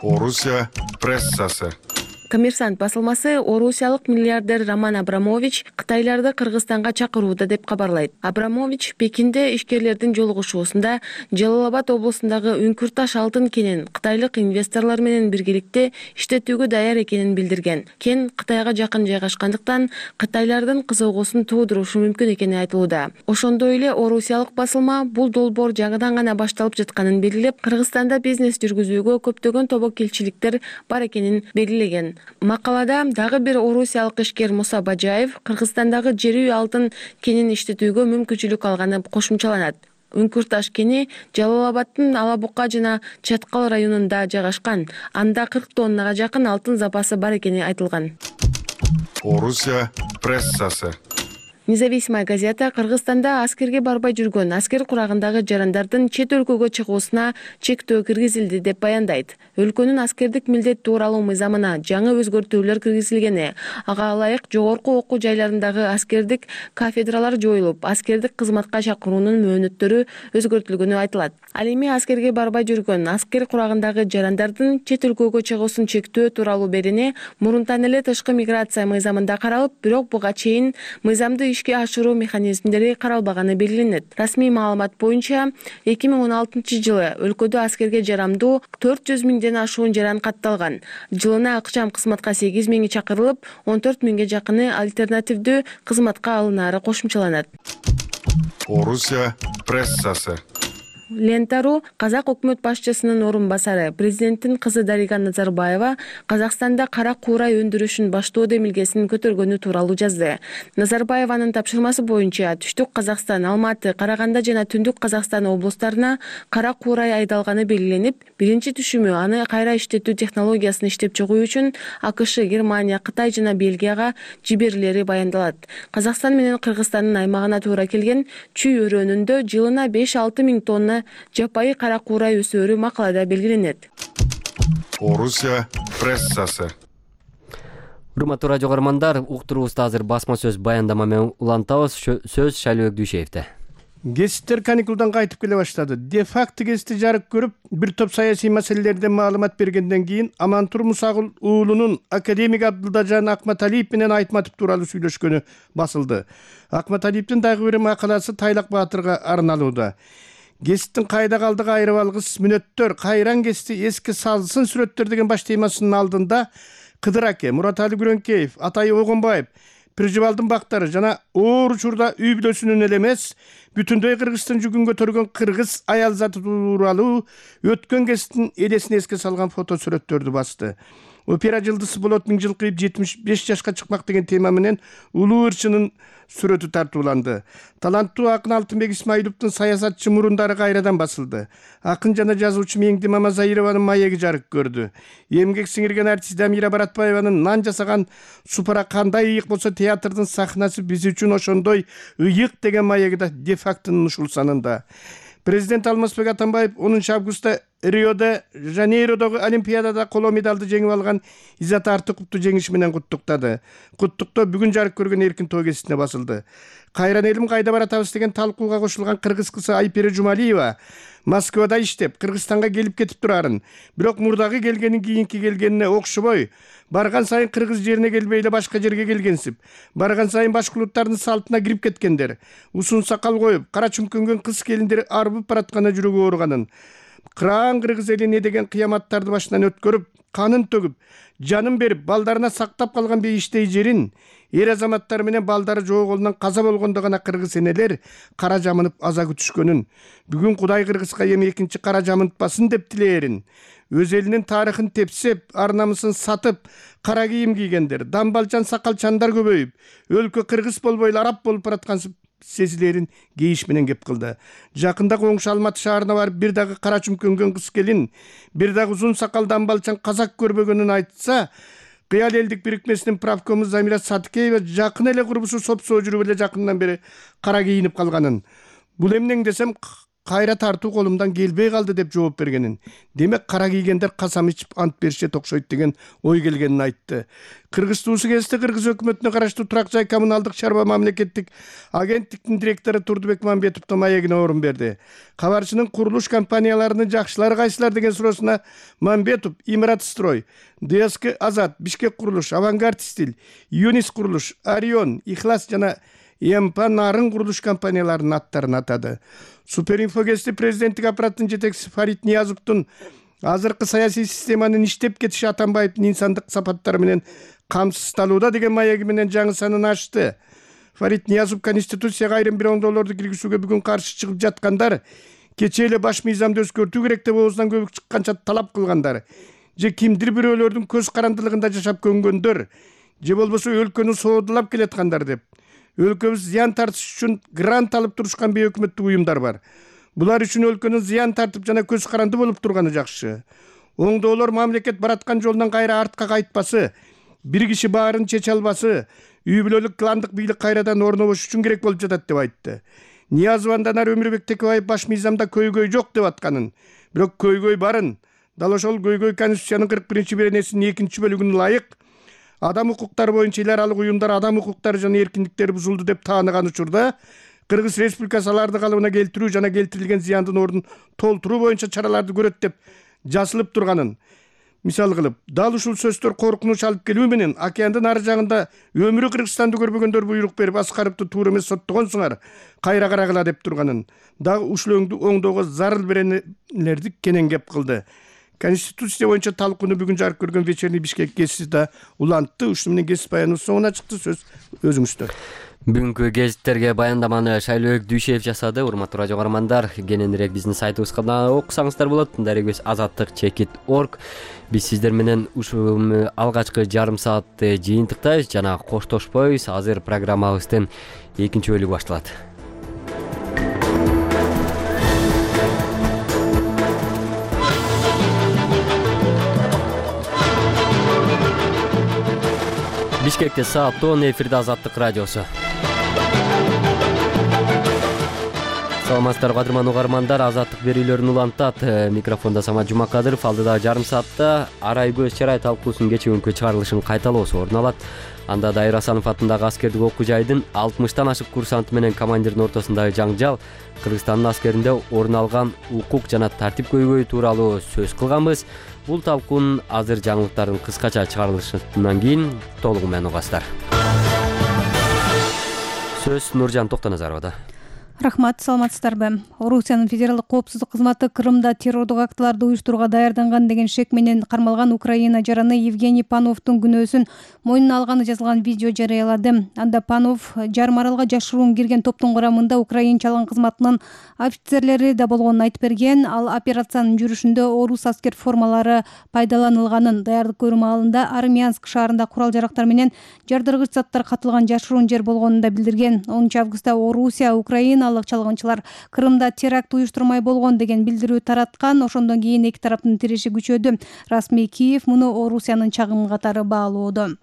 Орусия прессасы. Коммерсант басылмасы орусиялык миллиардер Роман Абрамович кытайларды Кыргызстанга чакырууда деп кабарлайт. Абрамович Пекинде ишкерлердин жолугушуусунда Жалал-Абад облусундагы Үңкүрташ алтын кенин кытайлык инвесторлор менен биргеликте иштетүүгө даяр экенин билдирген. Кен Кытайга жакын жайгашкандыктан кытайлардын кызыгуусун туудурушу мүмкүн экени айтылууда. Ошондой эле орусиялык басылма бул долбоор жаңыдан гана башталып жатканын белгилеп, Кыргызстанда бизнес жүргүзүүгө көптөгөн тобокелчиликтер бар экенин белгилеген. Макалада дагы бир орусиялык ишкер Муса Бажаев Кыргызстандагы жерүү алтын кенин иштетүүгө мүмкүнчүлүк алганы кошумчаланат. Үңкүрташ кени Жалал-Абадтын Алабука жана Чаткал районунда жайгашкан. Анда кырк тоннага жакын алтын запасы бар экени айтылган. Орусия прессасы. Независимая газета Кыргызстанда аскерге барбай жүргөн аскер курагындагы жарандардын чет өлкөгө чыгуусуна чектөө киргизилди деп баяндайт. Өлкөнүн аскердик милдет тууралуу мыйзамына жаңы өзгөртүүлөр киргизилгени, ага ылайык жогорку окуу жайларындагы аскердик кафедралар жоюлуп, аскердик кызматка чакыруунун мөөнөттөрү өзгөртүлгөнү айтылат. Ал эми аскерге барбай жүргөн аскер курагындагы жарандардын чет өлкөгө чыгуусун чектөө тууралуу берени мурунтан эле тышкы миграция мыйзамында каралып, бирок буга чейин мыйзамды ишке ашыруу механизмдери каралбаганы белгиленет. Расмий маалымат боюнча эки миң он алтынчы жылы өлкөдө аскерге жарамдуу төрт жүз миңден ашуун жаран катталган. Жылына акчам кызматка сегиз миңи чакырылып, он төрт миңге жакыны альтернативдүү кызматка алынаары кошумчаланат. Орусия прессасы. Лента.ру Казак өкмөт башчысынын орун басары президенттин кызы Дарига Назарбаева Казакстанда кара куурай өндүрүшүн баштоо демилгесин көтөргөнү тууралуу жазды. Назарбаеванын тапшырмасы боюнча Түштүк Казакстан, Алматы, Караганда жана Түндүк Казакстан облустарына кара куурай айдалганы белгиленип, биринчи түшүмү аны кайра иштетүү технологиясын иштеп чыгуу үчүн АКШ, Германия, Кытай жана Бельгияга жиберилери баяндалат. Казакстан менен Кыргызстандын аймагына туура келген чүй өрөөнүндө жылына беш алты миң тонна жапайы кара куурай өсөөрү макалада белгиленет. Орусия прессасы. Урматтуу радио көрөрмандар, уктуруубузду азыр басма сөз баяндама менен улантабыз. Сөз Шайлыбек Дүйшеевде. Гезиттер каникулдан кайтып келе баштады. Де-факто гезитти жарык көрүп, бир топ саясий маселелерден маалымат бергенден кийин Амантур Мусагул уулунун академик Абдылдажан Акматалиев менен Айтматов тууралуу сүйлөшкөнү басылды. Акматалиевдин дагы бир макаласы Тайлак Баатырга арналууда. Гезиттин кайда калдыгы айрып алгыс мүнөттөр, кайран гезитти эске салсын сүрөттөр деген баш темасынын алдында Кыдыр аке, Муратали Күрөңкеев, Атай Огонбаев, Пиржибалдын бактары жана оор учурда үй бүлөсүнүн эле эмес, бүтүндөй Кыргызстан жүгүн көтөргөн кыргыз аял заты тууралуу өткөн гезиттин элесин эске салган фото сүрөттөрдү басты. Опера жылдысы болот миң жыл кыйып жетимиш беш жашка чыкмак деген тема менен улуу ырчынын сүрөтү тартууланды. Таланттуу акын Алтынбек Исмаиловдун саясатчы мурундары кайрадан басылды. Акын жана жазуучу Меңди Мамазайрованын маеги жарык көрдү. Эмгек сиңирген артист Дамира Баратбаеванын нан жасаган супара кандай ыйык болсо театрдын сахнасы биз үчүн ошондой ыйык деген маеги да де-фактонун ушул санында. Президент Алмазбек Атамбаев онунчу августта Рио-де Жанейродогу Олимпиадада коло медалды жеңип алган Иззат Артыковду жеңиши менен куттуктады. Куттуктоо бүгүн жарык көргөн эркин той гезитине басылды. Кайран элим кайда баратабыз деген талкууга кошулган кыргыз кызы Айпери Жумалиева Москвада иштеп, Кыргызстанга келип кетип турарын, бирок мурдагы келгенин кийинки келгенине окшобой, барган сайын кыргыз жерине келбей эле башка жерге келгенсип, барган сайын башка улуттардын салтына кирип кеткендер, узун сакал коюп, кара чүмкөнгөн кыз келиндер арбып баратканда жүрөгү ооруганын, кыран кыргыз элине деген кыяматтарды башынан өткөрүп, канын төгүп, жанын берип, балдарына сактап калган бейиштей жерин, эр азаматтар менен балдары жоо колунан каза болгондо гана кыргыз энелер кара жамынып аза күтүшкөнүн, бүгүн Кудай кыргызга эми экинчи кара жамынтпасын деп тилээрин, өз элинин тарыхын тепсеп, ар намысын сатып, кара кийим кийгендер, дамбалчан сакалчандар көбөйүп, өлкө кыргыз болбой эле араб болуп бараткан сезилерин кейиш менен кеп кылды. Жакында коңшу Алматы шаарына барып, бир дагы кара чүмкөнгөн кыз келин, бир дагы узун сакал дамбалчан казак көрбөгөнүн айтса, Кыял элдик бирикмесинин правкому Замира Садыкеева жакын эле курбусу сопсоо жүрүп эле жакындан бери кара кийинип калганын. Бул эмнең десем, кайра тартуу колумдан келбей калды деп жооп бергенин. Демек кара кийгендер касам ичип ант беришет окшойт деген ой келгенин айтты. Кыргыз туусу кезинде Кыргыз өкмөтүнө караштуу Турак жай коммуналдык чарба мамлекеттик агенттиктин директору Турдубек Мамбетовдун маегине орун берди. Кабарчынын курулуш компанияларынын жакшылары кайсылар деген суроосуна Мамбетов Имаратстрой, ДСК Азат, Бишкек курулуш, Авангард стиль, Юнис курулуш, Орион, Ихлас жана Эмпа нарын курулуш компанияларынын аттарын атады. Суперинфо гезити президенттик аппараттын жетекчиси Фарид Ниязовдун азыркы саясий системанын иштеп кетиши Атамбаевдин инсандык сапаттары менен камсыздалууда деген маеги менен жаңы санын ачты. Фарид Ниязов Конституцияга айрым бир оңдоолорду киргизүүгө бүгүн каршы чыгып жаткандар, кечээ эле баш мыйзамды өзгөртүү керек деп оозунан көбүк чыкканча талап кылгандар, же кимдир бирөөлөрдүн көз карандылыгында жашап көнгөндөр, же болбосо өлкөнү соодулап келаткандар деп өлкөбүз зыян тартыш үчүн грант алып турушкан бейөкмөттүк уюмдар бар. Булар үчүн өлкөнүн зыян тартып жана көз каранды болуп турганы жакшы. Оңдоолор мамлекет бараткан жолунан кайра артка кайтпасы, бир киши баарын чече албасы, үй бүлөлүк кландык бийлик кайрадан орнобош үчүн керек болуп жатат деп айтты. Ниязовандан ары Өмүрбек Текебаев баш мыйзамда көйгөй жок деп атканын, бирок көйгөй барын. Дал ошол көйгөй Конституциянын кырк биринчи беренесинин экинчи бөлүгүнө ылайык адам укуктары боюнча эл аралык уюмдар адам укуктары жана эркиндиктери бузулду деп тааныган учурда Кыргыз Республикасы аларды калыбына келтирүү жана келтирилген зыяндын ордун толтуруу боюнча чараларды көрөт деп жазылып турганын мисал кылып, дал ушул сөздөр коркунуч алып келүү менен океандын ары жагында өмүрү Кыргызстанды көрбөгөндөр буйрук берип Аскаровду туура эмес соттогонсуңар, кайра карагыла деп турганын дагы ушул оңдоого зарыл беренелерди кенен кеп кылды. Конституция боюнча талкууну бүгүн жарык көргөн вечерний Бишкек гезити да улантты. Ушуну менен гезит баяныбыз соңуна чыкты. Сөз өзүңүздө. Бүгүнкү гезиттерге баяндаманы Шайлообек Дүйшеев жасады. Урматтуу радио каармандар, кененирээк биздин сайтыбызга да окусаңыздар болот. Дарегибиз азаттык чекит точка орг. Биз сиздер менен ушул алгачкы жарым саатты жыйынтыктайбыз жана коштошпойбуз. Азыр программабыздын экинчи бөлүгү башталат. Бишкекте саат он, эфирде Азаттык радиосу. Саламатсыздарбы кадырман угармандар, Азаттык берүүлөрүн улантат. Микрофондо Самат Жумакадыров. Алдыда жарым саатта Арай көз чарай талкуусунун кечээ чыгарылышын кайталоосу орун алат. Анда Дайыр Асанов атындагы аскердик окуу жайдын алтымыштан ашык курсанты менен командирдин ортосундагы жаңжал, Кыргызстандын аскеринде орун алган укук жана тартип көйгөйү тууралуу сөз кылганбыз. Бул талкуунун азыр жаңылыктардын кыскача чыгарылышынан кийин толугу менен угасыздар. Сөз Нуржан Токтоназаровада. Рахмат, саламатсыздарбы? Орусиянын федералдык коопсуздук кызматы Крымда террордук актыларды уюштурууга даярданган деген шек менен кармалган Украина жараны Евгений Пановдун күнөөсүн мойнуна алганы жазылган видео жарыялады. Анда Панов жарым аралга жашыруун кирген топтун курамында Украин чалгын кызматынын офицерлери да болгонун айтып берген. Ал операциянын жүрүшүндө орус аскер формалары пайдаланылганын, даярдык көрүү маалында Армянск шаарында курал жарактар менен жардыргыч заттар катылган жашыруун жер болгонун да билдирген. онунчу августта Орусия Украина чалгынчылар Крымда теракт уюштурмай болгон деген билдирүү тараткан. Ошондон кийин эки тараптын тиреши күчөдү. Расмий Киев муну Орусиянын чагымы катары баалоодо.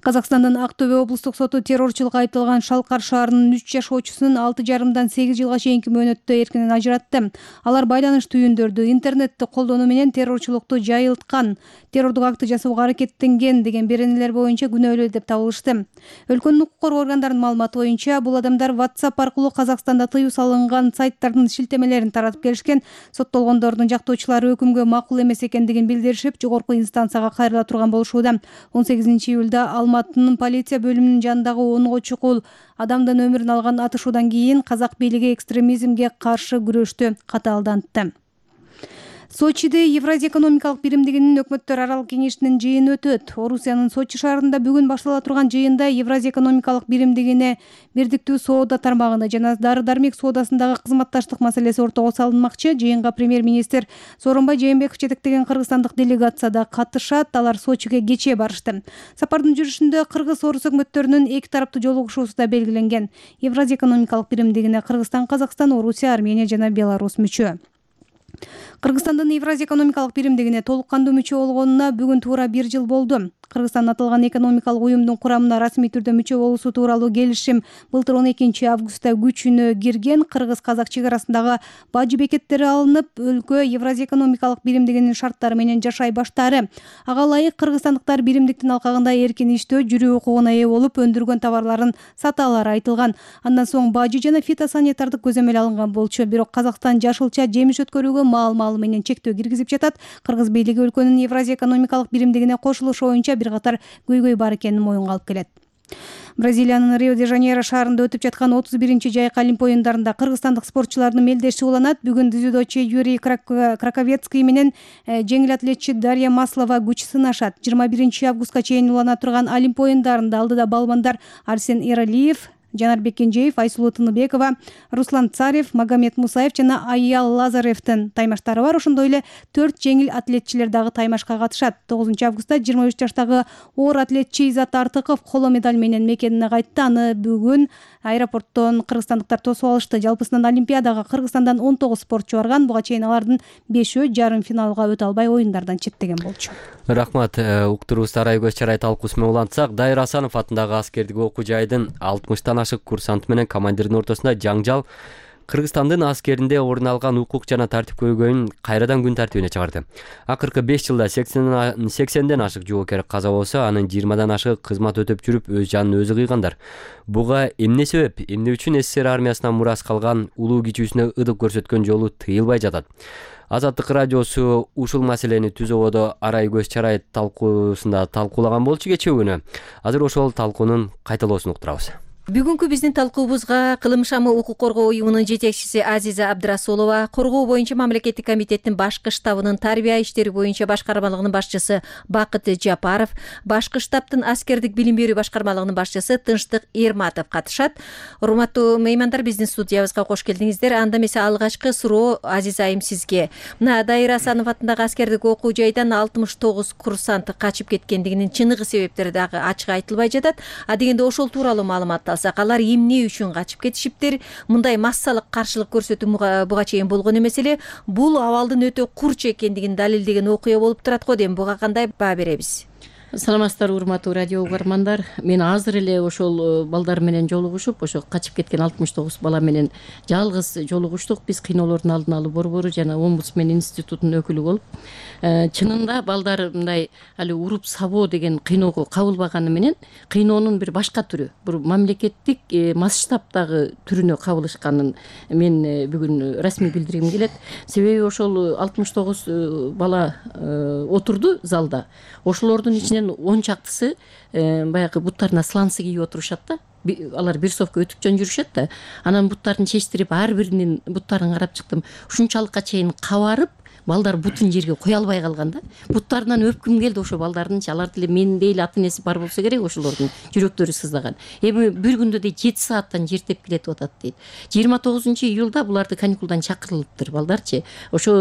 Казакстандын Актөбө облустук соту террорчулукка айыпталган Шалкар шаарынын үч жашоочусун алты жарымдан сегиз жылга чейинки мөөнөттө эркинен ажыратты. Алар байланыш түйүндөрдү, интернетти колдонуу менен террорчулукту жайылткан, террордук акты жасоого аракеттенген деген беренелер боюнча күнөөлүү деп табылышты. Өлкөнүн укук коргоо органдарынын маалыматы боюнча бул адамдар WhatsApp аркылуу Казакстанда тыюу салынган сайттардын шилтемелерин таратып келишкен. Соттолгондордун жактоочулары өкүмгө макул эмес экендигин билдиришип, жогорку инстанцияга кайрыла турган болушууда. он сегизинчи июлда Алматынын полиция бөлүмүнүн жанындагы онго чукул адамдын өмүрүн алган атышуудан кийин казак бийлиги экстремизмге каршы күрөштү катаалдантты. Сочиде Евразия экономикалык биримдигинин өкмөттөр аралык кеңешинин жыйыны өтөт. Орусиянын Сочи шаарында бүгүн баштала турган жыйында Евразия экономикалык биримдигине бирдиктүү соода тармагында жана дары-дармек соодасындагы кызматташтык маселеси ортого салынмакчы. Жыйынга премьер-министр Сооронбай Жээнбеков жетектеген кыргызстандык делегация да катышат. Алар Сочиге кечээ барышты. Сапардын жүрүшүндө кыргыз-орус өкмөттөрүнүн эки тараптуу жолугушуусу да белгиленген. Евразия экономикалык биримдигине Кыргызстан, Казакстан, Орусия, Армения жана Беларусь мүчө. Кыргызстандын Евразия экономикалык биримдигине толук кандуу мүчө болгонуна бүгүн туура бир жыл болду. Кыргызстан аталган экономикалык уюмдун курамына расмий түрдө мүчө болуусу тууралуу келишим былтыр он экинчи августта күчүнө кирген. Кыргыз-казак чек арасындагы бажы бекеттери алынып, өлкө Евразия экономикалык биримдигинин шарттары менен жашай баштаары. Ага ылайык кыргызстандыктар биримдиктин алкагында эркин иштөө, жүрүү укугуна ээ болуп, өндүргөн товарларын сата алары айтылган. Андан соң бажы жана фитосанитардык көзөмөл алынган болчу. Бирок Казакстан жашылча жемиш өткөрүүгө маал-маалы менен чектөө киргизип жатат. Кыргыз бийлиги өлкөнүн Евразия экономикалык биримдигине кошулушу боюнча бир катар көйгөй бар экенин моюнга алып келет. Бразилиянын Рио-де-Жанейро шаарында өтүп жаткан отуз биринчи жайкы Олимп оюндарында кыргызстандык спортчулардын мелдеши уланат. Бүгүн дзюдочу Юрий Краковецкий менен жеңил атлетчи Дарья Маслова күч сынашат. жыйырма биринчи августка чейин улана турган Олимп оюндарында алдыда балбандар Арсен Иралиев, Жанарбек Кенжеев, Айсулуу Тыныбекова, Руслан Царев, Магомед Мусаев жана Аял Лазаревдин таймаштары бар. Ошондой эле төрт жеңил атлетчилер дагы таймашка катышат. тогузунчу августта жыйырма үч жаштагы оор атлет Чейзат Артыков коло медаль менен мекенине кайтты. Аны бүгүн аэропорттон кыргызстандыктар тосуп алышты. Жалпысынан Олимпиадага Кыргызстандан он тогуз спортчу барган. Буга чейин алардын бешөө жарым финалга өтө албай оюндардан четтеген болчу. Рахмат. Уктуруубузду Арай көз чарай талкуусу менен улантсак, Дайыр Асанов атындагы аскердик окуу жайдын алтымыштан ашык курсанты менен командирдин ортосунда жаңжал Кыргызстандын аскеринде орун алган укук жана тартип көйгөйүн кайрадан күн тартибине чыгарды. Акыркы беш жылда сексенден ашык жоокер каза болсо, анын жыйырмадан ашыгы кызмат өтөп жүрүп өз жанын өзү кыйгандар. Буга эмне себеп? Эмне үчүн СССР армиясынан мурас калган улуу кичүүсүнө ыдык көрсөткөн жолу тыйылбай жатат? Азаттык радиосу ушул маселени түз ободо Арай көз чарай талкуусунда талкуулаган болчу кечээ күнү. Азыр ошол талкуунун кайталоосун уктурабыз. Бүгүнкү биздин талкуубузга Кылым шамы укук коргоо уюмунун жетекчиси Азиза Абдрасулова, коргоо боюнча мамлекеттик комитеттин башкы штабынын тарбия иштери боюнча башкармалыгынын башчысы Бакыт Жапаров, башкы штабтын аскердик билим берүү башкармалыгынын башчысы Тынчтык Эрматов катышат. Урматтуу меймандар, биздин студиябызга кош келдиңиздер. Анда эмесе алгачкы суроо Азиза айым сизге. Мына Дайыр Асанов атындагы аскердик окуу жайдан алтымыш тогуз курсант качып кеткендигинин чыныгы себептери дагы ачык айтылбай жатат. А дегенде ошол тууралуу маалымат алсак, алар эмне үчүн качып кетишиптир? Мындай массалык каршылык көрсөтүү буга чейин болгон эмес эле. Бул абалдын өтө курч экендигин далилдеген окуя болуп турат го дейм. Буга кандай баа беребиз? Саламатсыздарбы урматтуу радио угармандар. Мен азыр эле ошол балдар менен жолугушуп, ошо качып кеткен алтымыш тогуз бала менен жалгыз жолугуштук. Биз кыйноолордун алдын алуу борбору жана Омбудсмен институтунун өкүлү болуп, чынында балдар мындай али уруп сабоо деген кыйноого кабылбаганы менен кыйноонун бир башка түрү, бир мамлекеттик масштабтагы түрүнө кабылышканын мен бүгүн расмий билдиргим келет. Себеби ошол алтымыш тогуз бала отурду залда. Ошолордун ичинен он чактысы баягы буттарына сланцы кийип отурушат да. Алар бир совка өтүп жөн жүрүшөт да. Анан буттарын чечтирип, ар биринин буттарын карап чыктым. Ушунчалыкка чейин кабарып, балдар бутун жерге кое албай калган да. Буттарынан өпкүм келди ошо балдардынчы. Алар деле мендей эле ата энеси бар болсо керек, ошолордун жүрөктөрү сыздаган. Эми бир күндө дейт жети сааттан жертеп келетип атат дейт. жыйырма тогузунчу июлда буларды каникулдан чакырылыптыр балдарчы. Ошо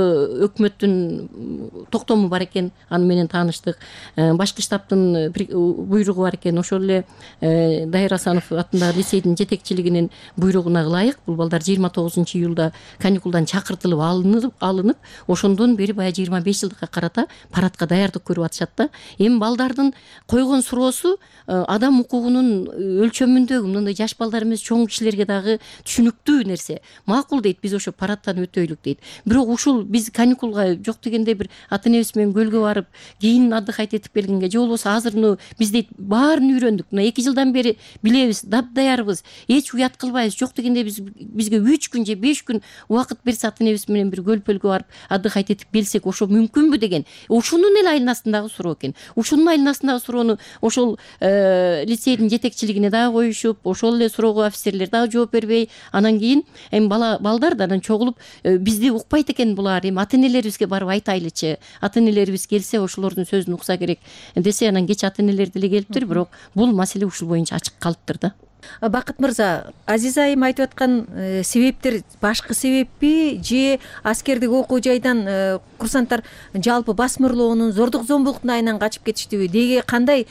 өкмөттүн токтому бар экен, аны менен тааныштык. Башкы штабтын буйругу бар экен. Ошол эле Дайыр Асанов атындагы лицейдин жетекчилигинин буйругуна ылайык бул балдар жыйырма тогузунчу июлда каникулдан чакыртылып алынып, алынып, ошондон бери баягы жыйырма беш жылдыкка карата парадка даярдык көрүп атышат да. Эми балдардын койгон суроосу адам укугунун өлчөмүндөгү мындай жаш балдар эмес, чоң кишилерге дагы түшүнүктүү нерсе. Макул дейт, биз ошо парадтан өтөйлүк дейт. Бирок ушул биз каникулга жок дегенде бир ата энебиз менен көлгө барып, кийин отдыхать этип келгенге, же болбосо азыр ну биз дейт баарын үйрөндүк. Мына эки жылдан бери билебиз, дапдаярбыз, эч уят кылбайбыз. Жок дегенде биз бизге үч күн же беш күн убакыт берсе ата энебиз менен бир көл-пөлгө барып отдыхать этип келсек, ошо мүмкүнбү деген. Ушунун эле айнасындагы суроо экен. Ушунун айнасындагы суроону ошол лицейдин жетекчилигине дагы коюшуп, ошол эле суроого офицерлер дагы жооп бербей, анан кийин эми бала балдар да анан чогулуп бизди укпайт экен булар. Эми ата энелерибизге барып айтайлычы. Ата энелерибиз келсе, ошолордун сөзүн укса керек десе, анан кеч ата энелер деле келиптир, бирок бул маселе ушул боюнча ачык калыптыр да. Бакыт мырза, Азиза айым айтып аткан себептер башкы себеппи же аскердик окуу жайдан курсанттар жалпы басмырлоонун, зордук зомбулуктун айынан качып кетиштиби? Деги кандай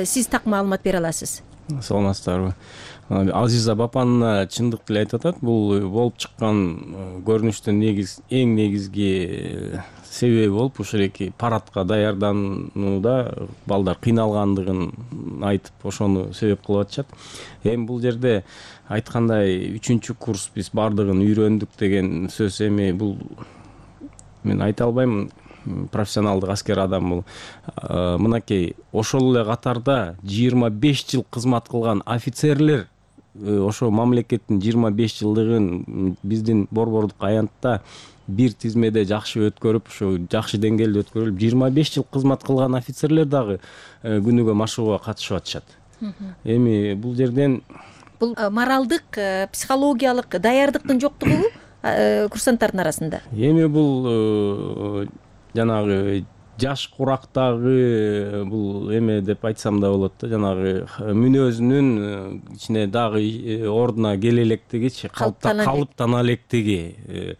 сиз так маалымат бере аласыз? Саламатсыздарбы. Азиза бапанына чындык деле айтып атат. Бул болуп чыккан көрүнүштүн негиз эң негизги себеби болуп ушул эки парадка даярданууда балдар кыйналгандыгын айтып, ошону себеп кылып атышат. Эми бул жерде айткандай үчүнчү курс биз бардыгын үйрөндүк деген сөз, эми бул мен айта албайм, профессионалдык аскер адам бул. Мынакей ошол эле катарда жыйырма беш жыл кызмат кылган офицерлер ошо мамлекеттин жыйырма беш жылдыгын биздин борбордук аянтта бир тизмеде жакшы өткөрүп, ошо жакшы деңгээлде өткөрүлүп, жыйырма беш жыл кызмат кылган офицерлер дагы күнүгө машыгууга катышып атышат. Эми бул жерден бул моралдык, психологиялык даярдыктын жоктугу курсанттардын арасында. Эми бул жанагы жаш курактагы бул эме деп айтсам да болот да, жанагы мүнөзүнүн ичине дагы ордуна келе электигичи, калыптана электиги.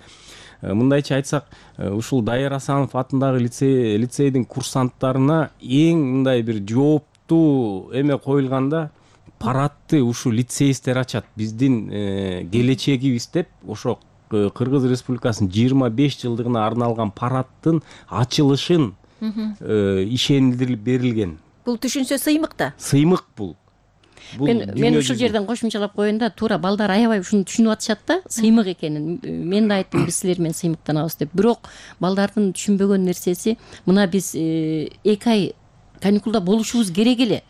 Мындайча айтсак, ушул Дайыр Асанов атындагы лицей лицейдин курсанттарына эң мындай бир жооптуу эме коюлганда, парадты ушу лицеисттер ачат. Биздин келечегибиз деп ошо Кыргыз Республикасынын жыйырма беш жылдыгына арналган парадтын ачылышын ишендирип берилген. Бул түшүнсө сыймык да. Сыймык бул. Мен мен ушул жерден кошумчалап коеюн да, туура балдар аябай ушуну түшүнүп атышат да, сыймык экенин. Мен да айттым, биз силер менен сыймыктанабыз деп. Бирок балдардын түшүнбөгөн нерсеси, мына биз эки ай каникулда болушубуз керек эле.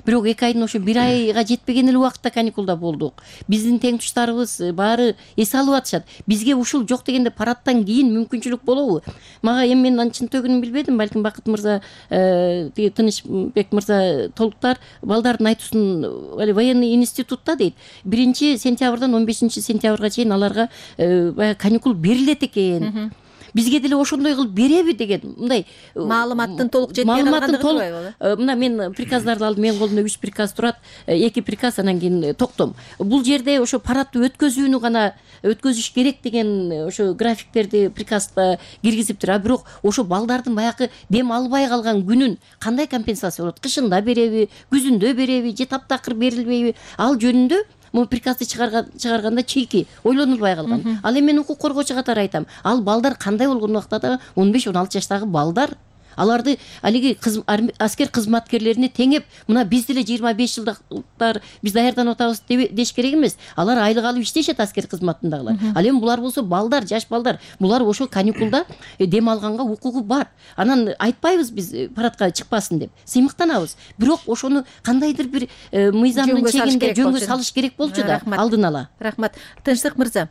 Бирок эки айдын ошо бир айга жетпеген эле убакытта каникулда болдук. Биздин теңтуштарыбыз баары эс алып атышат. Бизге ушул жок дегенде парадтан кийин мүмкүнчүлүк болобу? Мага эми мен анын чын төгүнүн билбедим, балким Бакыт мырза, тиги Тынычбек мырза толуктар балдардын айтуусун военный институтта дейт. биринчи сентябрдан он бешинчи сентябрга чейин аларга баягы каникул берилет экен. Бизге деле ошондой кылып береби деген мындай маалыматтын толук жетпей калгандыгы турбайбы? Мына мен приказдарды алдым, менин колумда үч приказ турат, эки приказ, анан кийин токтом. Бул жерде ошо парадты өткөзүүнү гана өткөзүш керек деген ошо графиктерди приказда киргизиптир. А бирок ошо балдардын баягы дем албай калган күнүн кандай компенсация болот? Кышында береби, күзүндө береби, же таптакыр берилбейби? Ал жөнүндө могу приказды чыгарганда чийки ойлонулбай калган. Ал эми мен укук коргоочу катары айтам, ал балдар кандай болгон убакта да он беш он алты жаштагы балдар, аларды алиги аскер кызматкерлерине теңеп, мына биз деле жыйырма беш жылдыктар биз даярданып атабыз деш керек эмес. Алар айлык алып иштешет аскер кызматындагылар. Ал эми булар болсо балдар, жаш балдар. Булар ошо каникулда дем алганга укугу бар. Анан айтпайбыз биз парадка чыкпасын деп. Сыймыктанабыз. Бирок ошону кандайдыр бир мыйзамдын чегинде жөнгө салыш керек болчу да, алдын ала. Рахмат. Тынчтык мырза.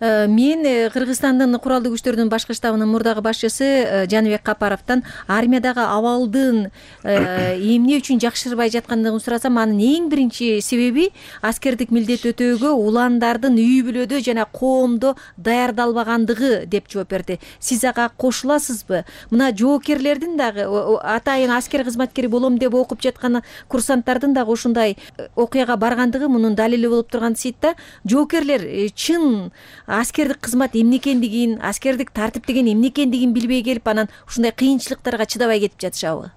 Мен Кыргызстандын куралдуу күчтөрүнүн башкы штабынын мурдагы башчысы Жаныбек Капаровдон армиядагы абалдын эмне үчүн жакшырбай жаткандыгын сурасам, анын эң биринчи себеби аскердик милдет өтөөгө уландардын үй бүлөдө жана коомдо даярдалбагандыгы деп жооп берди. Сиз ага кошуласызбы? Мына жоокерлердин дагы атайын аскер кызматкери болом деп окуп жаткан курсанттардын дагы ушундай окуяга баргандыгы мунун далили болуп турган сыйытта, жоокерлер чын аскердик кызмат эмне экендигин, аскердик тартип деген эмне экендигин билбей келип, анан ушундай кыйынчылыктарга чыдабай кетип жатышабы?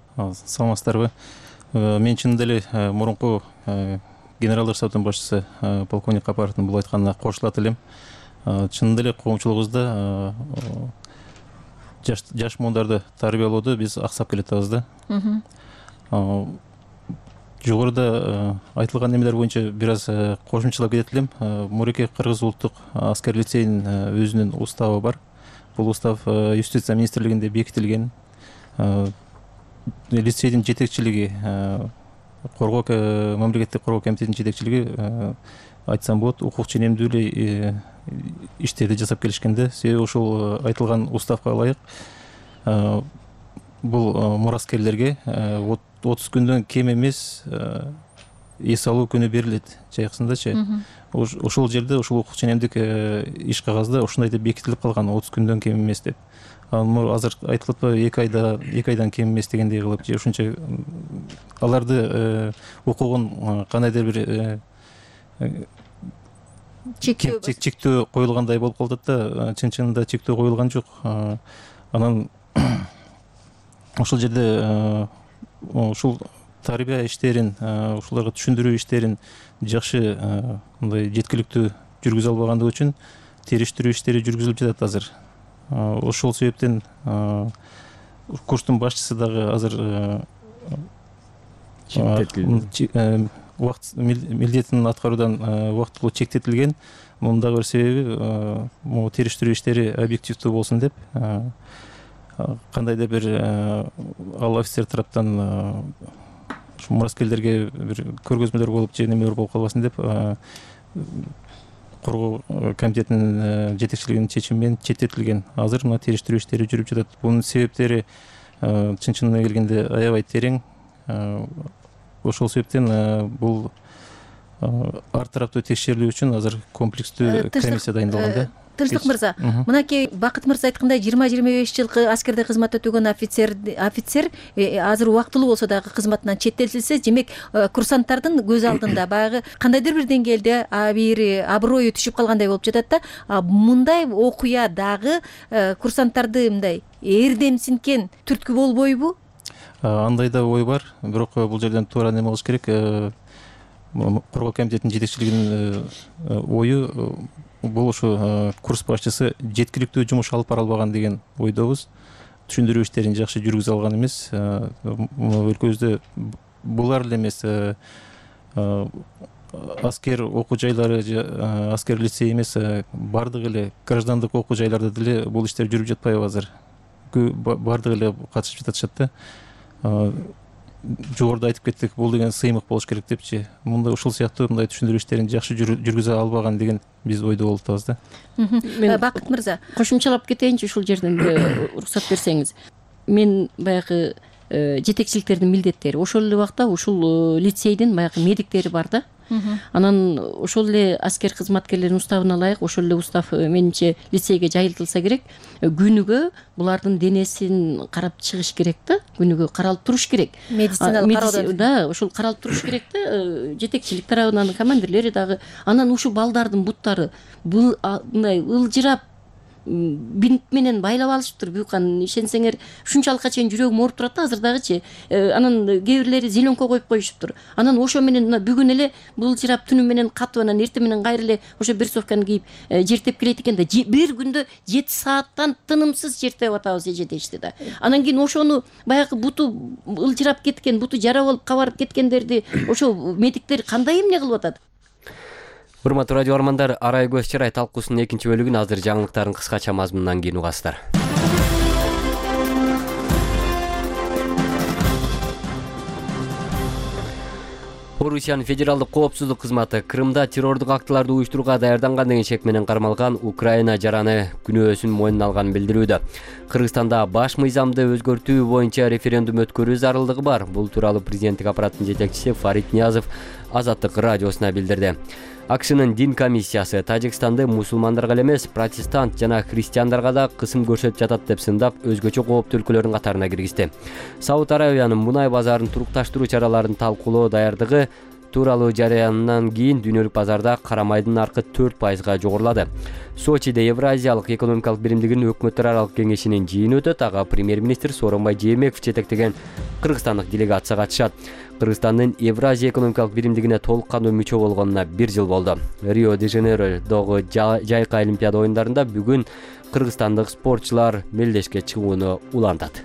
Саламатсыздарбы? Мен чынында эле мурунку генералдар штабынын башчысы полковник Капаровдун бул айтканына кошулат элем. Чынында эле коомчулугубузда жаш муундарды тарбиялоодо биз аксап келатабыз да. Жогоруда айтылган немелер боюнча бир аз кошумчалап кетет элем. Муреке Кыргыз улуттук аскер лицейинин өзүнүн уставы бар. Бул устав юстиция министрлигинде бекитилген. Лицейдин жетекчилиги, коргоо мамлекеттик коргоо комитетинин жетекчилиги айтсам болот, укук ченемдүү эле иштерди жасап келишкенде, себеби ушул айтылган уставга ылайык бул мураскерлерге отуз күндөн кем эмес эс алуу күнү берилет жайкысындачы. Ошол жерде ушул укук ченемдик иш кагазда ушундай деп бекитилип калган, отуз күндөн кем эмес деп. Ал азыр айтылып атпайбы, эки айда эки айдан кем эмес дегендей кылып, же ушунча аларды укугун кандайдыр бир чектөө коюлгандай болуп калат да, чын чынында чектөө коюлган жок. Анан ошол жерде ушул тарбия иштерин, ушуларга түшүндүрүү иштерин жакшы мындай жеткиликтүү жүргүзө албагандыгы үчүн териштирүү иштери жүргүзүлүп жатат азыр. Ошол себептен курстун башчысы дагы азыр убакыт милдетин аткаруудан убактылуу чектетилген. Мунун дагы бир себеби могу териштирүү иштери объективдүү болсун деп, кандайдыр бир ал офицер тараптан мураскерлерге бир көргөзмөлөр болуп же немелер болуп калбасын деп, коргоо комитетинин жетекчилигинин чечими менен четтетилген. Азыр мына териштирүү иштери жүрүп жатат. Бунун себептери чын чынына келгенде аябай терең. Ошол себептен бул ар тараптуу текшерилүү үчүн азыр комплекстүү комиссия дайындалган да. Тынчтык мырза, мынакей Бакыт мырза айткандай жыйырма жыйырма беш жылкы аскерде кызмат өтөгөн офицер офицер азыр убактылуу болсо дагы кызматынан четтетилсе, демек курсанттардын көз алдында баягы кандайдыр бир деңгээлде бир аброю түшүп калгандай болуп жатат да. Мындай окуя дагы курсанттарды мындай эрдемсинткен түрткү болбойбу? Андай да ой бар, бирок бул жерден туура неме кылыш керек. Коргоо комитетинин жетекчилигинин ою бул ушу курс башчысы жеткиликтүү жумуш алып бара албаган деген ойдобуз. Түшүндүрүү иштерин жакшы жүргүзө алган эмес. Өлкөбүздө булар эле эмес, аскер окуу жайлары, аскер лицей эмес, бардык эле граждандык окуу жайларда деле бул иштер жүрүп жатпайбы азыр? Бардык эле катышып жатышат да. Жогоруда айтып кеттик, бул деген сыймык болуш керек депчи. Мындай ушул сыяктуу мындай түшүндүрүү иштерин жакшы жүргүзө албаган деген биз ойдо болуп атабыз да. Бакыт мырза, кошумчалап кетейинчи ушул жерден уруксат берсеңиз. Мен баягы жетекчиликтердин милдеттери ошол эле убакта ушул лицейдин баягы медиктери бар да. Анан ошол эле аскер кызматкерлеринин уставына ылайык ошол эле устав менимче лицейге жайылтылса керек. Күнүгө булардын денесин карап чыгыш керек да. Күнүгө каралып туруш керек. Медициналык кароодон. Да, ошол каралып туруш керек да. Жетекчилик тарабынан командирлери дагы. Анан ушул балдардын буттары бул мындай ылжырап бинт менен байлап алышыптыр. Буюкан ишенсеңер ушунчалыкка чейин жүрөгүм ооруп турат да азыр дагычы. Анан кээ бирлери зеленка коюп коюшуптур. Анан ошо менен бүгүн эле былжырап түнү менен катып анан эртең менен кайра эле ошо берсовканы кийип жертеп келет экен да. Бир күндө жети сааттан тынымсыз жертеп атабыз эже дешти да. Анан кийин ошону баягы буту ылжырап кеткен, буту жара болуп кабарып кеткендерди ошо медиктер кандай эмне кылып атат? Урматтуу радио армандар, Арай көз чырай талкуусунун экинчи бөлүгүн азыр жаңылыктардын кыскача мазмунунан кийин угасыздар. Орусиянын федералдык коопсуздук кызматы Крымда террордук актыларды уюштурууга даярданган деген шек менен кармалган Украина жараны күнөөсүн мойнуна алганын билдирүүдө. Кыргызстанда баш мыйзамды өзгөртүү боюнча референдум өткөрүү зарылдыгы бар. Бул тууралуу президенттик аппараттын жетекчиси Фарид Ниязов Азаттык радиосуна билдирди. АКШнын дин комиссиясы Тажикстанды мусулмандарга эле эмес, протестант жана христиандарга да кысым көрсөтүп жатат деп сындап, өзгөчө кооптуу өлкөлөрдүн катарына киргизди. Сауд Арабиянын мунай базарын турукташтыруу чараларын талкуулоо даярдыгы тууралуу жарыяндан кийин дүйнөлүк базарда кара майдын наркы төрт пайызга жогорулады. Сочиде Евразиялык экономикалык биримдигинин өкмөттөр аралык кеңешинин жыйыны өтөт. Ага премьер-министр Сооронбай Жээнбеков жетектеген кыргызстандык делегация катышат. Кыргызстандын Евразия экономикалык биримдигине толук кандуу мүчө болгонуна бир жыл болду. Рио-де-Жанейродогу жайкы олимпиада оюндарында бүгүн кыргызстандык спортчулар мелдешке чыгууну улантат.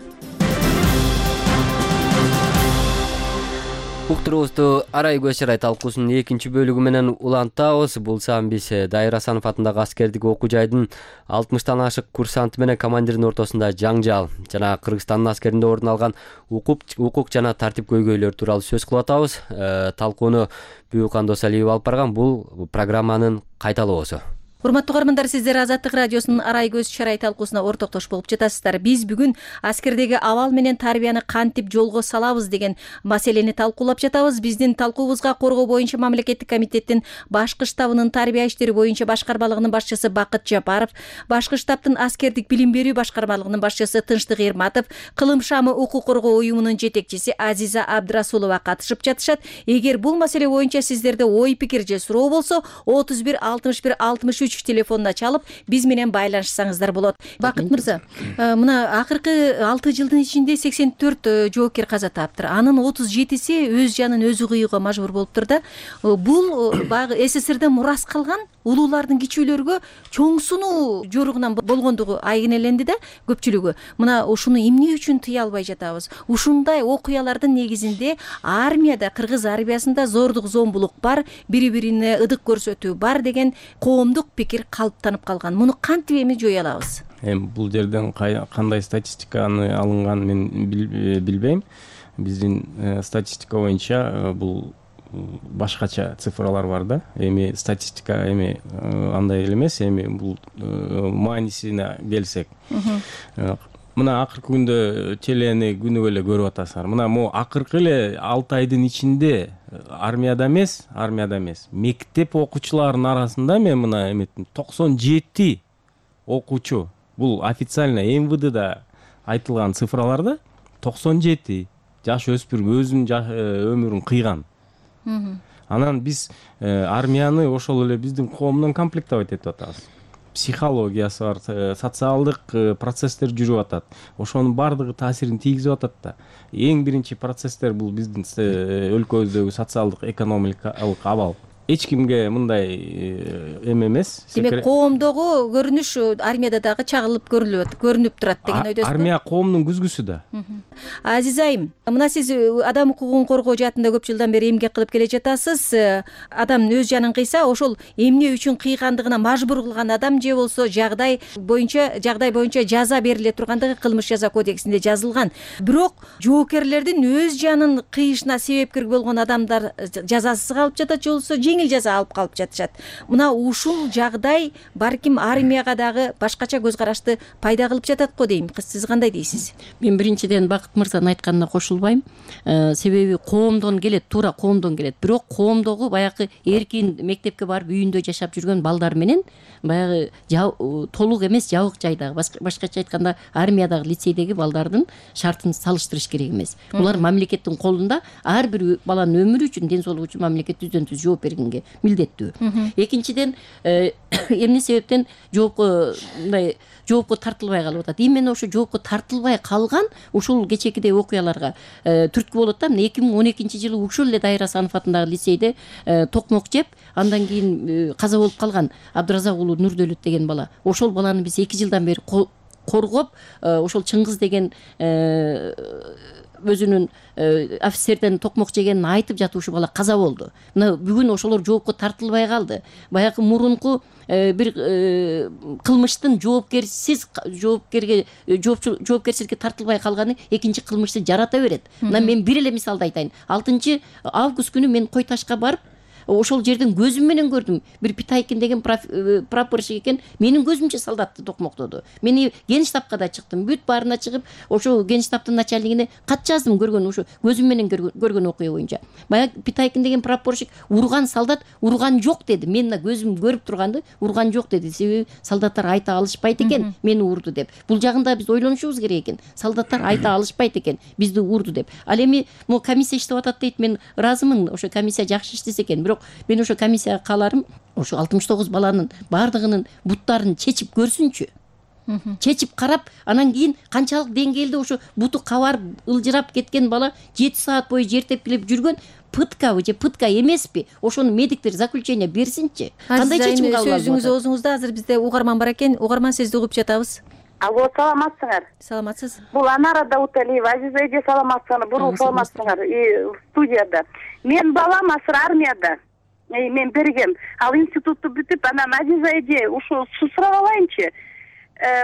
Уктуруубузду Арай көз чырай талкуусунун экинчи бөлүгү менен улантабыз. Бул саам биз Дайыр Асанов атындагы аскердик окуу жайдын алтымыштан ашык курсанты менен командирдин ортосунда жаңжал жана Кыргызстандын аскеринде орун алган укук жана тартип көйгөйлөр тууралуу сөз кылып атабыз. Талкууну Буюкан Досалиев алып барган. Бул программанын кайталоосу. Урматтуу каармандар, сиздер Азаттык радиосунун Арай көз чырай талкуусуна ортоктош болуп жатасыздар. Биз бүгүн аскердеги абал менен тарбияны кантип жолго салабыз деген маселени талкуулап жатабыз. Биздин талкуубузга Коргоо боюнча мамлекеттик комитеттин башкы штабынын тарбия иштери боюнча башкармалыгынын башчысы Бакыт Жапаров, башкы штабтын аскердик билим берүү башкармалыгынын башчысы Тынчтык Эрматов, Кылым шамы укук коргоо уюмунун жетекчиси Азиза Абдрасулова катышып жатышат. Эгер бул маселе боюнча сиздерде ой пикир же суроо болсо, отуз бир алтымыш бир алтымыш үч телефонуна чалып биз менен байланышсаңыздар болот. Бакыт мырза, мына акыркы алты жылдын ичинде сексен төрт жоокер каза таптыр. Анын отуз жетиси өз жанын өзү кыюуга мажбур болуптур да. Бул баягы СССРден мурас калган улуулардын кичүүлөргө чоң сунуу жоругунан болгондугу айгинеленди да көпчүлүгү. Мына ушуну эмне үчүн тыя албай жатабыз? Ушундай окуялардын негизинде армияда, кыргыз армиясында зордук зомбулук бар, бири-бирине ыдык көрсөтүү бар деген коомдук пикир калыптанып калган. Муну кантип эми жое алабыз? Эми бул жерден кандай статистиканы алынган мен билбейм. Биздин статистика боюнча бул башкача цифралар бар да. Эми статистика эми андай эле эмес, эми бул маанисине келсек. Мына акыркы күндө телени күнүгө эле көрүп атасыздар. Мына могу акыркы эле алты айдын ичинде армияда эмес, армияда эмес, мектеп окуучуларынын арасында мен мына эметтим токсон жети окуучу, бул официально эм вэ дда айтылган цифраларда токсон жети жаш өспүрүм өзүнүн өмүрүн кыйган. Анан биз армияны ошол эле биздин коомдон комплектовать этип атабыз. Психологиясы бар, социалдык процесстер жүрүп атат. Ошонун баардыгы таасирин тийгизип атат да. Эң биринчи процесстер бул биздин өлкөбүздөгү социалдык экономикалык абал. Эч кимге мындай эме эмес. Демек коомдогу көрүнүш армияда дагы чагылып көрүлүп көрүнүп турат деген ойдосузбу? Армия коомдун күзгүсү да. Азиз айым, мына сиз адам укугун коргоо жаатында көп жылдан бери эмгек кылып келе жатасыз. Адам өз жанын кыйса, ошол эмне үчүн кыйгандыгына мажбур кылган адам же болсо жагдай боюнча жагдай боюнча жаза бериле тургандыгы кылмыш жаза кодексинде жазылган. Бирок жоокерлердин өз жанын кыйышына себепкер болгон адамдар жазасыз калып жатат, же болсо жеңил жаза алып калып жатышат. Мына ушул жагдай балким армияга дагы башкача көз карашты пайда кылып жатат го дейм. Сиз кандай дейсиз? Мен биринчиден Бакыт мырзанын айтканына кошулбайм. Себеби коомдон келет, туура коомдон келет. Бирок коомдогу баягы эркин мектепке барып үйүндө жашап жүргөн балдар менен баягы толук эмес жабык жайдагы, башкача айтканда армиядагы лицейдеги балдардын шартын салыштырыш керек эмес. Булар мамлекеттин колунда, ар бир баланын өмүрү үчүн, ден соолугу үчүн мамлекет түздөн түз жооп бергенге милдеттүү. Экинчиден, эмне себептен жоопко мындай жоопко тартылбай калып атат? Именно ошо жоопко тартылбай калган ушул кечээкидей окуяларга түрткү болот да. эки миң он экинчи жылы ушул эле Дайыр Асанов атындагы лицейде токмок жеп, андан кийин каза болуп калган Абдыразак уулу Нурдөлөт деген бала. Ошол баланы биз эки жылдан бери коргоп, ошол Чыңгыз деген өзүнүн офицерден токмок жегенин айтып жатып ушул бала каза болду. Мына бүгүн ошолор жоопко тартылбай калды. Баягы мурунку бир кылмыштын жоопкерсиз жоопкерге жоопкерчиликке тартылбай калганы экинчи кылмышты жарата берет. Мына мен бир эле мисалды айтайын. алтынчы август күнү мен Кой Ташка барып, ошол жерден көзүм менен көрдүм. Бир Питайкин деген прапорщик экен, менин көзүмчө солдатты токмоктоду. Мени Генштабка да чыктым, бүт баарына чыгып, ошол Генштабтын начальнигине кат жаздым көргөн, ошо көзүм менен көргөн окуя боюнча. Баягы Питайкин деген прапорщик урган солдат урган жок деди. Мен көзүм көрүп турганды урган жок деди. Себеби солдаттар айта алышпайт экен мени урду деп. Бул жагында биз ойлонушубуз керек экен. Солдаттар айта алышпайт экен бизди урду деп. Ал эми могу комиссия иштеп атат дейт, мен ыраазымын, ошо комиссия жакшы иштесе экен. Бирок мен ошо комиссияга кааларым, ошо алтымыш тогуз баланын баардыгынын буттарын чечип көрсүнчү. Чечип карап, анан кийин канчалык деңгээлде ошо буту кабарып ылжырап кеткен бала жети саат бою жер тепкилеп жүргөн, пыткабы же пытка эмеспи? Ошону медиктер заключение берсинчи. Кандай чечим кабыл алып атат? Сөзүңүз оозуңузда, азыр бизде угарман бар экен. Угарман, сизди угуп жатабыз. Алло, саламатсыңар? Саламатсыз. Бул Анара Дауталиева. Азиз эже, саламатсыңар? Бурул саламатсыңар? И студияда. Мен балам азыр армияда. Мен бергем. Ал институтту бүтүп, анан Азиза эже, ушу сурап алайынчы.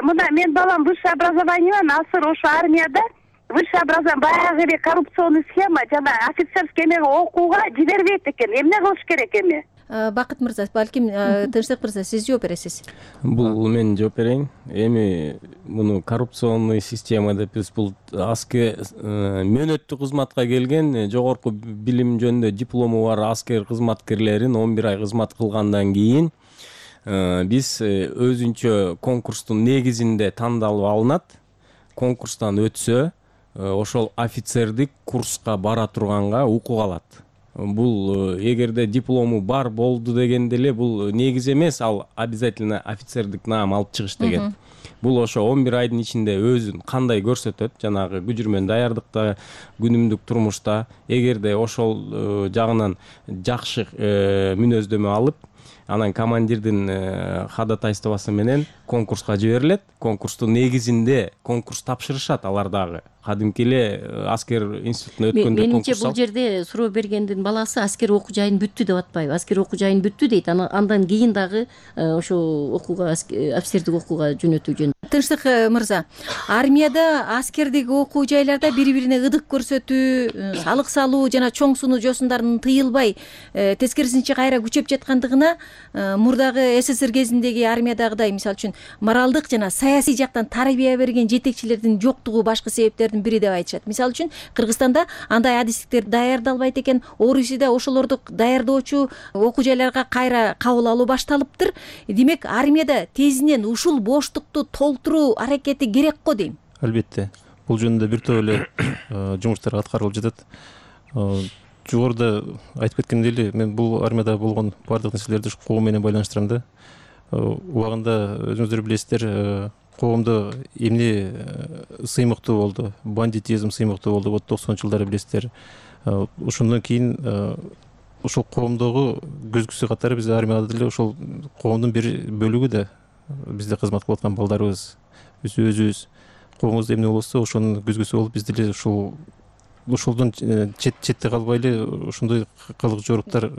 Мына мен балам высшее образованиемен азыр ошо армияда. Высшее образование баягы эле коррупционный схема жана офицерский эмеге окууга жибербейт экен. Эмне кылыш керек эми? Бакыт мырза, балким Тынчтык мырза, сиз жооп бересиз. Бул мен жооп берейин. Эми муну коррупционный система деп биз бул аскер мөөнөттүү кызматка келген, жогорку билим жөнүндө диплому бар аскер кызматкерлерин он бир ай кызмат кылгандан кийин биз өзүнчө конкурстун негизинде тандалып алынат. Конкурстан өтсө, ошол офицердик курска бара турганга укук алат. Бул эгерде диплому бар болду дегенде эле бул негиз эмес, ал обязательно офицердик наам алып чыгыш деген. Бул ошо он бир айдын ичинде өзүн кандай көрсөтөт, жанагы күжүрмөн даярдыкта, күнүмдүк турмушта, эгерде ошол жагынан жакшы мүнөздөмө алып, анан командирдин ходатайствосу менен конкурска жиберилет. Конкурстун негизинде конкурс тапшырышат алар дагы. Кадимки эле аскер институтуна өткөндө конкурс. Менимче бул жерде суроо бергендин баласы аскер окуу жайын бүттү деп атпайбы? Аскер окуу жайын бүттү дейт. Андан кийин дагы ошо окууга, офицердик окууга жөнөтүү жөн. Тынчтык мырза, армияда аскердик окуу жайларда бири-бирине ыдык көрсөтүү, салык салуу жана чоң сунуу жосундардын тыйылбай, тескерисинче кайра күчөп жаткандыгына жана мурдагы СССР кезиндеги армиядагыдай мисалы үчүн моралдык жана саясий жактан тарбия берген жетекчилердин жоктугу башкы себептердин бири деп айтышат. Мисалы үчүн Кыргызстанда андай адистиктер даярдалбайт экен, Орусияда ошолорду даярдоочу окуу жайларга кайра кабыл алуу башталыптыр. Демек армияда тезинен ушул боштукту толтуруу аракети керек го дейм. Албетте, бул жөнүндө бир топ эле жумуштар аткарылып жатат. Жогоруда айтып кеткендей эле, мен бул армияда болгон бардык нерселерди коом менен байланыштырам да. Убагында өзүңүздөр билесиздер, коомдо эмне сыймыктуу болду, бандитизм сыймыктуу болду, вот токсонунчу жылдары билесиздер. Ошондон кийин ошол коомдогу көзгүсү катары биз армияда деле ошол коомдун бир бөлүгү да бизде кызмат кылып аткан балдарыбыз, биз өзүбүз коомубузда эмне болсо ошонун көзгүсү болуп биз деле ушул ошолдон чет четте калбай эле ошондой кылык жоруктар.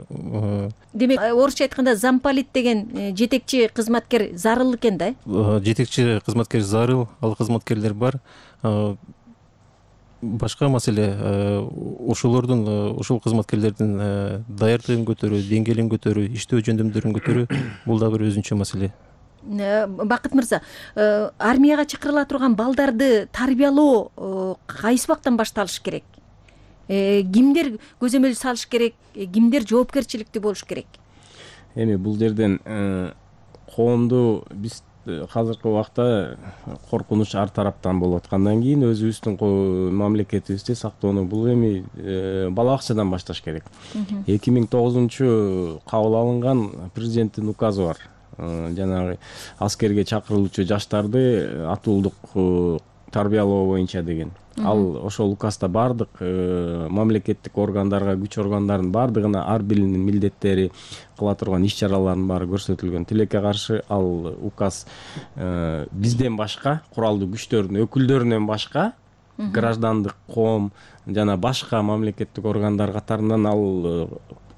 Демек орусча айтканда замполит деген жетекчи кызматкер зарыл экен да? Жетекчи кызматкер зарыл, ал кызматкерлер бар. Башка маселе ошолордун, ошол кызматкерлердин даярдыгын көтөрүү, деңгээлин көтөрүү, иштөө жөндөмдөрүн көтөрүү бул да бир өзүнчө маселе. Бакыт мырза, армияга чакырыла турган балдарды тарбиялоо кайсы убактан башталыш керек? Кимдер көзөмөл салыш керек? Кимдер жоопкерчиликтүү болуш керек? Эми бул жерден коомду биз азыркы убакта коркунуч ар тараптан болуп аткандан кийин өзүбүздүн мамлекетибизди сактоону бул эми бала бакчадан башташ керек. эки миң тогузунчу кабыл алынган президенттин указы бар. Жанагы аскерге чакырылуучу жаштарды атуулдук тарбиялоо боюнча деген. Ал ошол указда бардык мамлекеттик органдарга, күч органдарынын бардыгына ар биринин милдеттери, кыла турган иш чараларынын баары көрсөтүлгөн. Тилекке каршы ал указ бизден башка, куралдуу күчтөрдүн өкүлдөрүнөн башка граждандык коом жана башка мамлекеттик органдар катарынан ал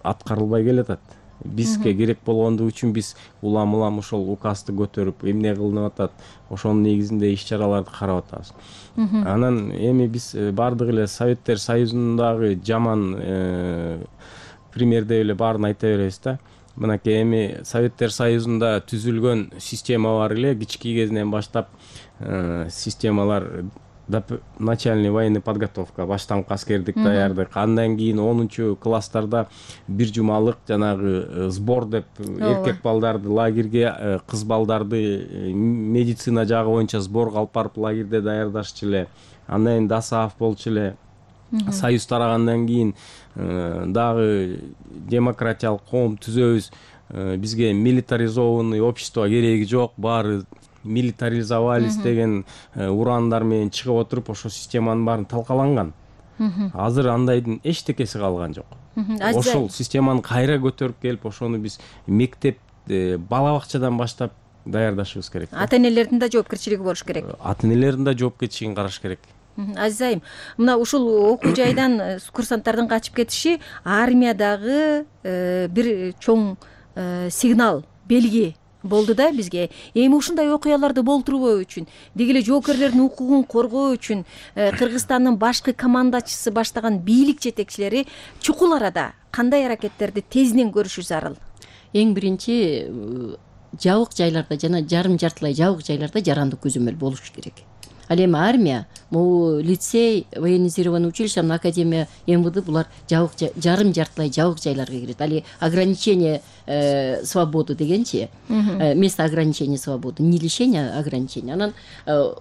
аткарылбай келатат. Бизге керек болгондугу үчүн биз улам улам ошол указды көтөрүп, эмне кылынып атат, ошонун негизинде иш чараларды карап атабыз. Анан эми биз бардык эле Советтер Союзундагы жаман пример деп эле баарын айта беребиз да. Мынакей эми Советтер Союзунда түзүлгөн система бар эле, кички кезинен баштап системалар начальный военный подготовка, баштаңкы аскердик даярдык, андан кийин онунчу класстарда бир жумалык жанагы сбор деп эркек балдарды лагерге, кыз балдарды медицина жагы боюнча сборго алып барып лагерде даярдашчу эле. Андан кийин ДОСААФ болчу эле. Союз тарагандан кийин дагы демократиялык коом түзөбүз. Бизге милитаризованный общество кереги жок, баары милитаризовались деген урандар менен чыгып отуруп ошо системанын баарын талкаланган. Азыр андайдын эчтекеси калган жок. Ошол системаны кайра көтөрүп келип, ошону биз мектеп, бала бакчадан баштап даярдашыбыз керек. Ата-энелердин да жоопкерчилиги болуш керек. Ата-энелердин да жоопкерчилигин караш керек. Азиз айым, мына ушул окуу жайдан курсанттардын качып кетиши армиядагы бир чоң сигнал, белги болду да бизге. Эми ушундай окуяларды болтурбоо үчүн, деги эле жоокерлердин укугун коргоо үчүн Кыргызстандын башкы командачысы баштаган бийлик жетекчилери чукул арада кандай аракеттерди тезинен көрүшү зарыл? Эң биринчи жабык жайларда жана жарым жартылай жабык жайларда жарандык көзөмөл болуш керек. Ал эми армия, могу лицей, военизированный училище, академия, МВД булар жабык жарым жартылай жабык жайларга кирет. Али ограничение свободы дегенчи, место ограничения свободы, не лишение, а ограничение. Анан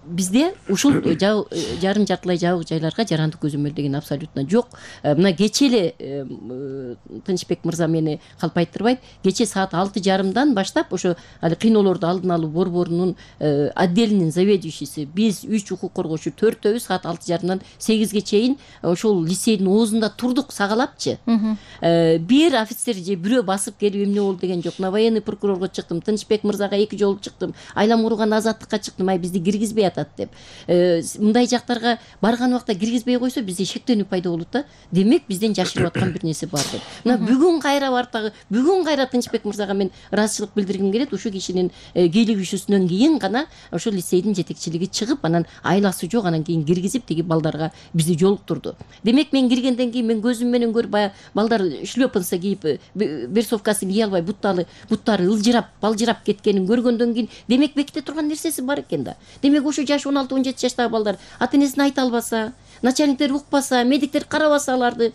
бизде ушул жарым жартылай жабык жайларга жарандык көзөмөл деген абсолютно жок. Мына кече эле Тынчбек мырза мени калпайттырбайт, кече саат алты жарымдан баштап ошо али кыйноолорду алдын алуу борборунун отдельный заведующийси биз үч укук коргоочу төртөөбүз саат алты жарымдан сегизге чейин ошол лицейдин оозунда турдук сагалапчы. Бир офицер же бирөө басып келип эмне болду деген жок. На военный прокурорго чыктым, Тынчбек мырзага эки жолу чыктым, Айлам Уруган азаттыкка чыктым, ай бизди киргизбей атат деп. Мындай жактарга барган убакта киргизбей койсо бизде шектенүү пайда болот да. Демек бизден жашырып аткан бир нерсе бар деп. Мына бүгүн кайра бардагы, бүгүн кайра Тынчбек мырзага мен ыраазычылык билдиргим келет. Ушул кишинин кийлигишүүсүнөн кийин гана ошол лицейдин жетекчилиги чыгып, анан анан айласы жок, анан кийин киргизип тиги балдарга бизди жолуктурду. Демек мен киргенден кийин мен көзүм менен көрүп, баягы балдар шлёпанца кийип, берсовкасын кие албай, буттары буттары ылжырап, балжырап кеткенин көргөндөн кийин, демек беките турган нерсеси бар экен да. Демек ошо жаш он алты он жети жаштагы балдар ата энесине айта албаса, начальниктер укпаса, медиктер карабаса аларды,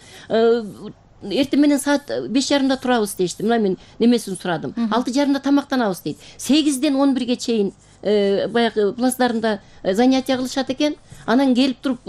эртең менен саат беш жарымда турабыз дейишти. Мына мен немесин сурадым. алты жарымда тамактанабыз дейт. сегизден он бирге чейин баягы плацдарында занятия кылышат экен. Анан келип туруп,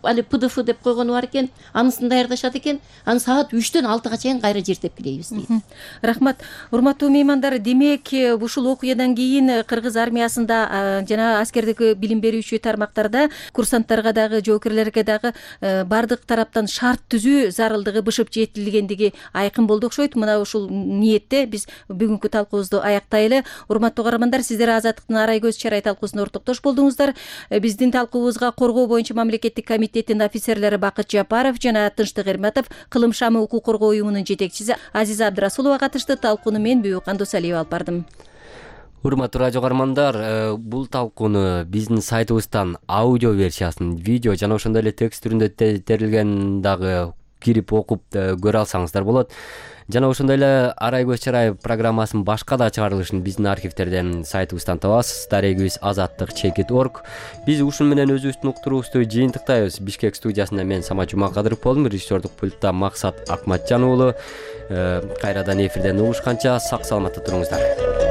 али ПДФ деп койгону бар экен, анысын даярдашат экен. Анан саат үчтөн алтыга чейин кайра жертеп келебиз дейт. Рахмат. Урматтуу меймандар, демек ушул окуядан кийин кыргыз армиясында жана аскердеги билим берүүчү тармактарда курсанттарга дагы, жоокерлерге дагы бардык тараптан шарт түзүү зарылдыгы бышып жетилгендиги айкын болду окшойт. Мына ушул ниетте биз бүгүнкү талкуубузду аяктайлы. Урматтуу каармандар, сиздер Азаттыктын Арай көз чарай талкуусуна ортоктош болдуңуздар. Биздин талкуубузга коргоо боюнча мамлекеттик комитеттин офицерлери Бакыт Жапаров жана Тынчтык Эрматов, Кылым шамы укук коргоо уюмунун жетекчиси Азиза Абдрасулова катышты. Талкууну мен Бүйүкан Досалиева алып бардым. Урматтуу радио каармандар, бул талкууну биздин сайтыбыздан аудио версиясын, видео жана ошондой эле текст түрүндө терилген дагы кирип окуп көрө алсаңыздар болот. Жана ошондой эле Арай көз чарай программасынын башка да чыгарылышын биздин архивтерден сайтыбыздан табасыз. Дарегибиз азаттык чекит точка орг. Биз ушун менен өзүбүздүн уктуруубузду жыйынтыктайбыз. Бишкек студиясында мен Самат Жумакадыров болдум, режиссердук пультта Максат Акматжан уулу. Кайрадан эфирден угушканча сак саламатта туруңуздар.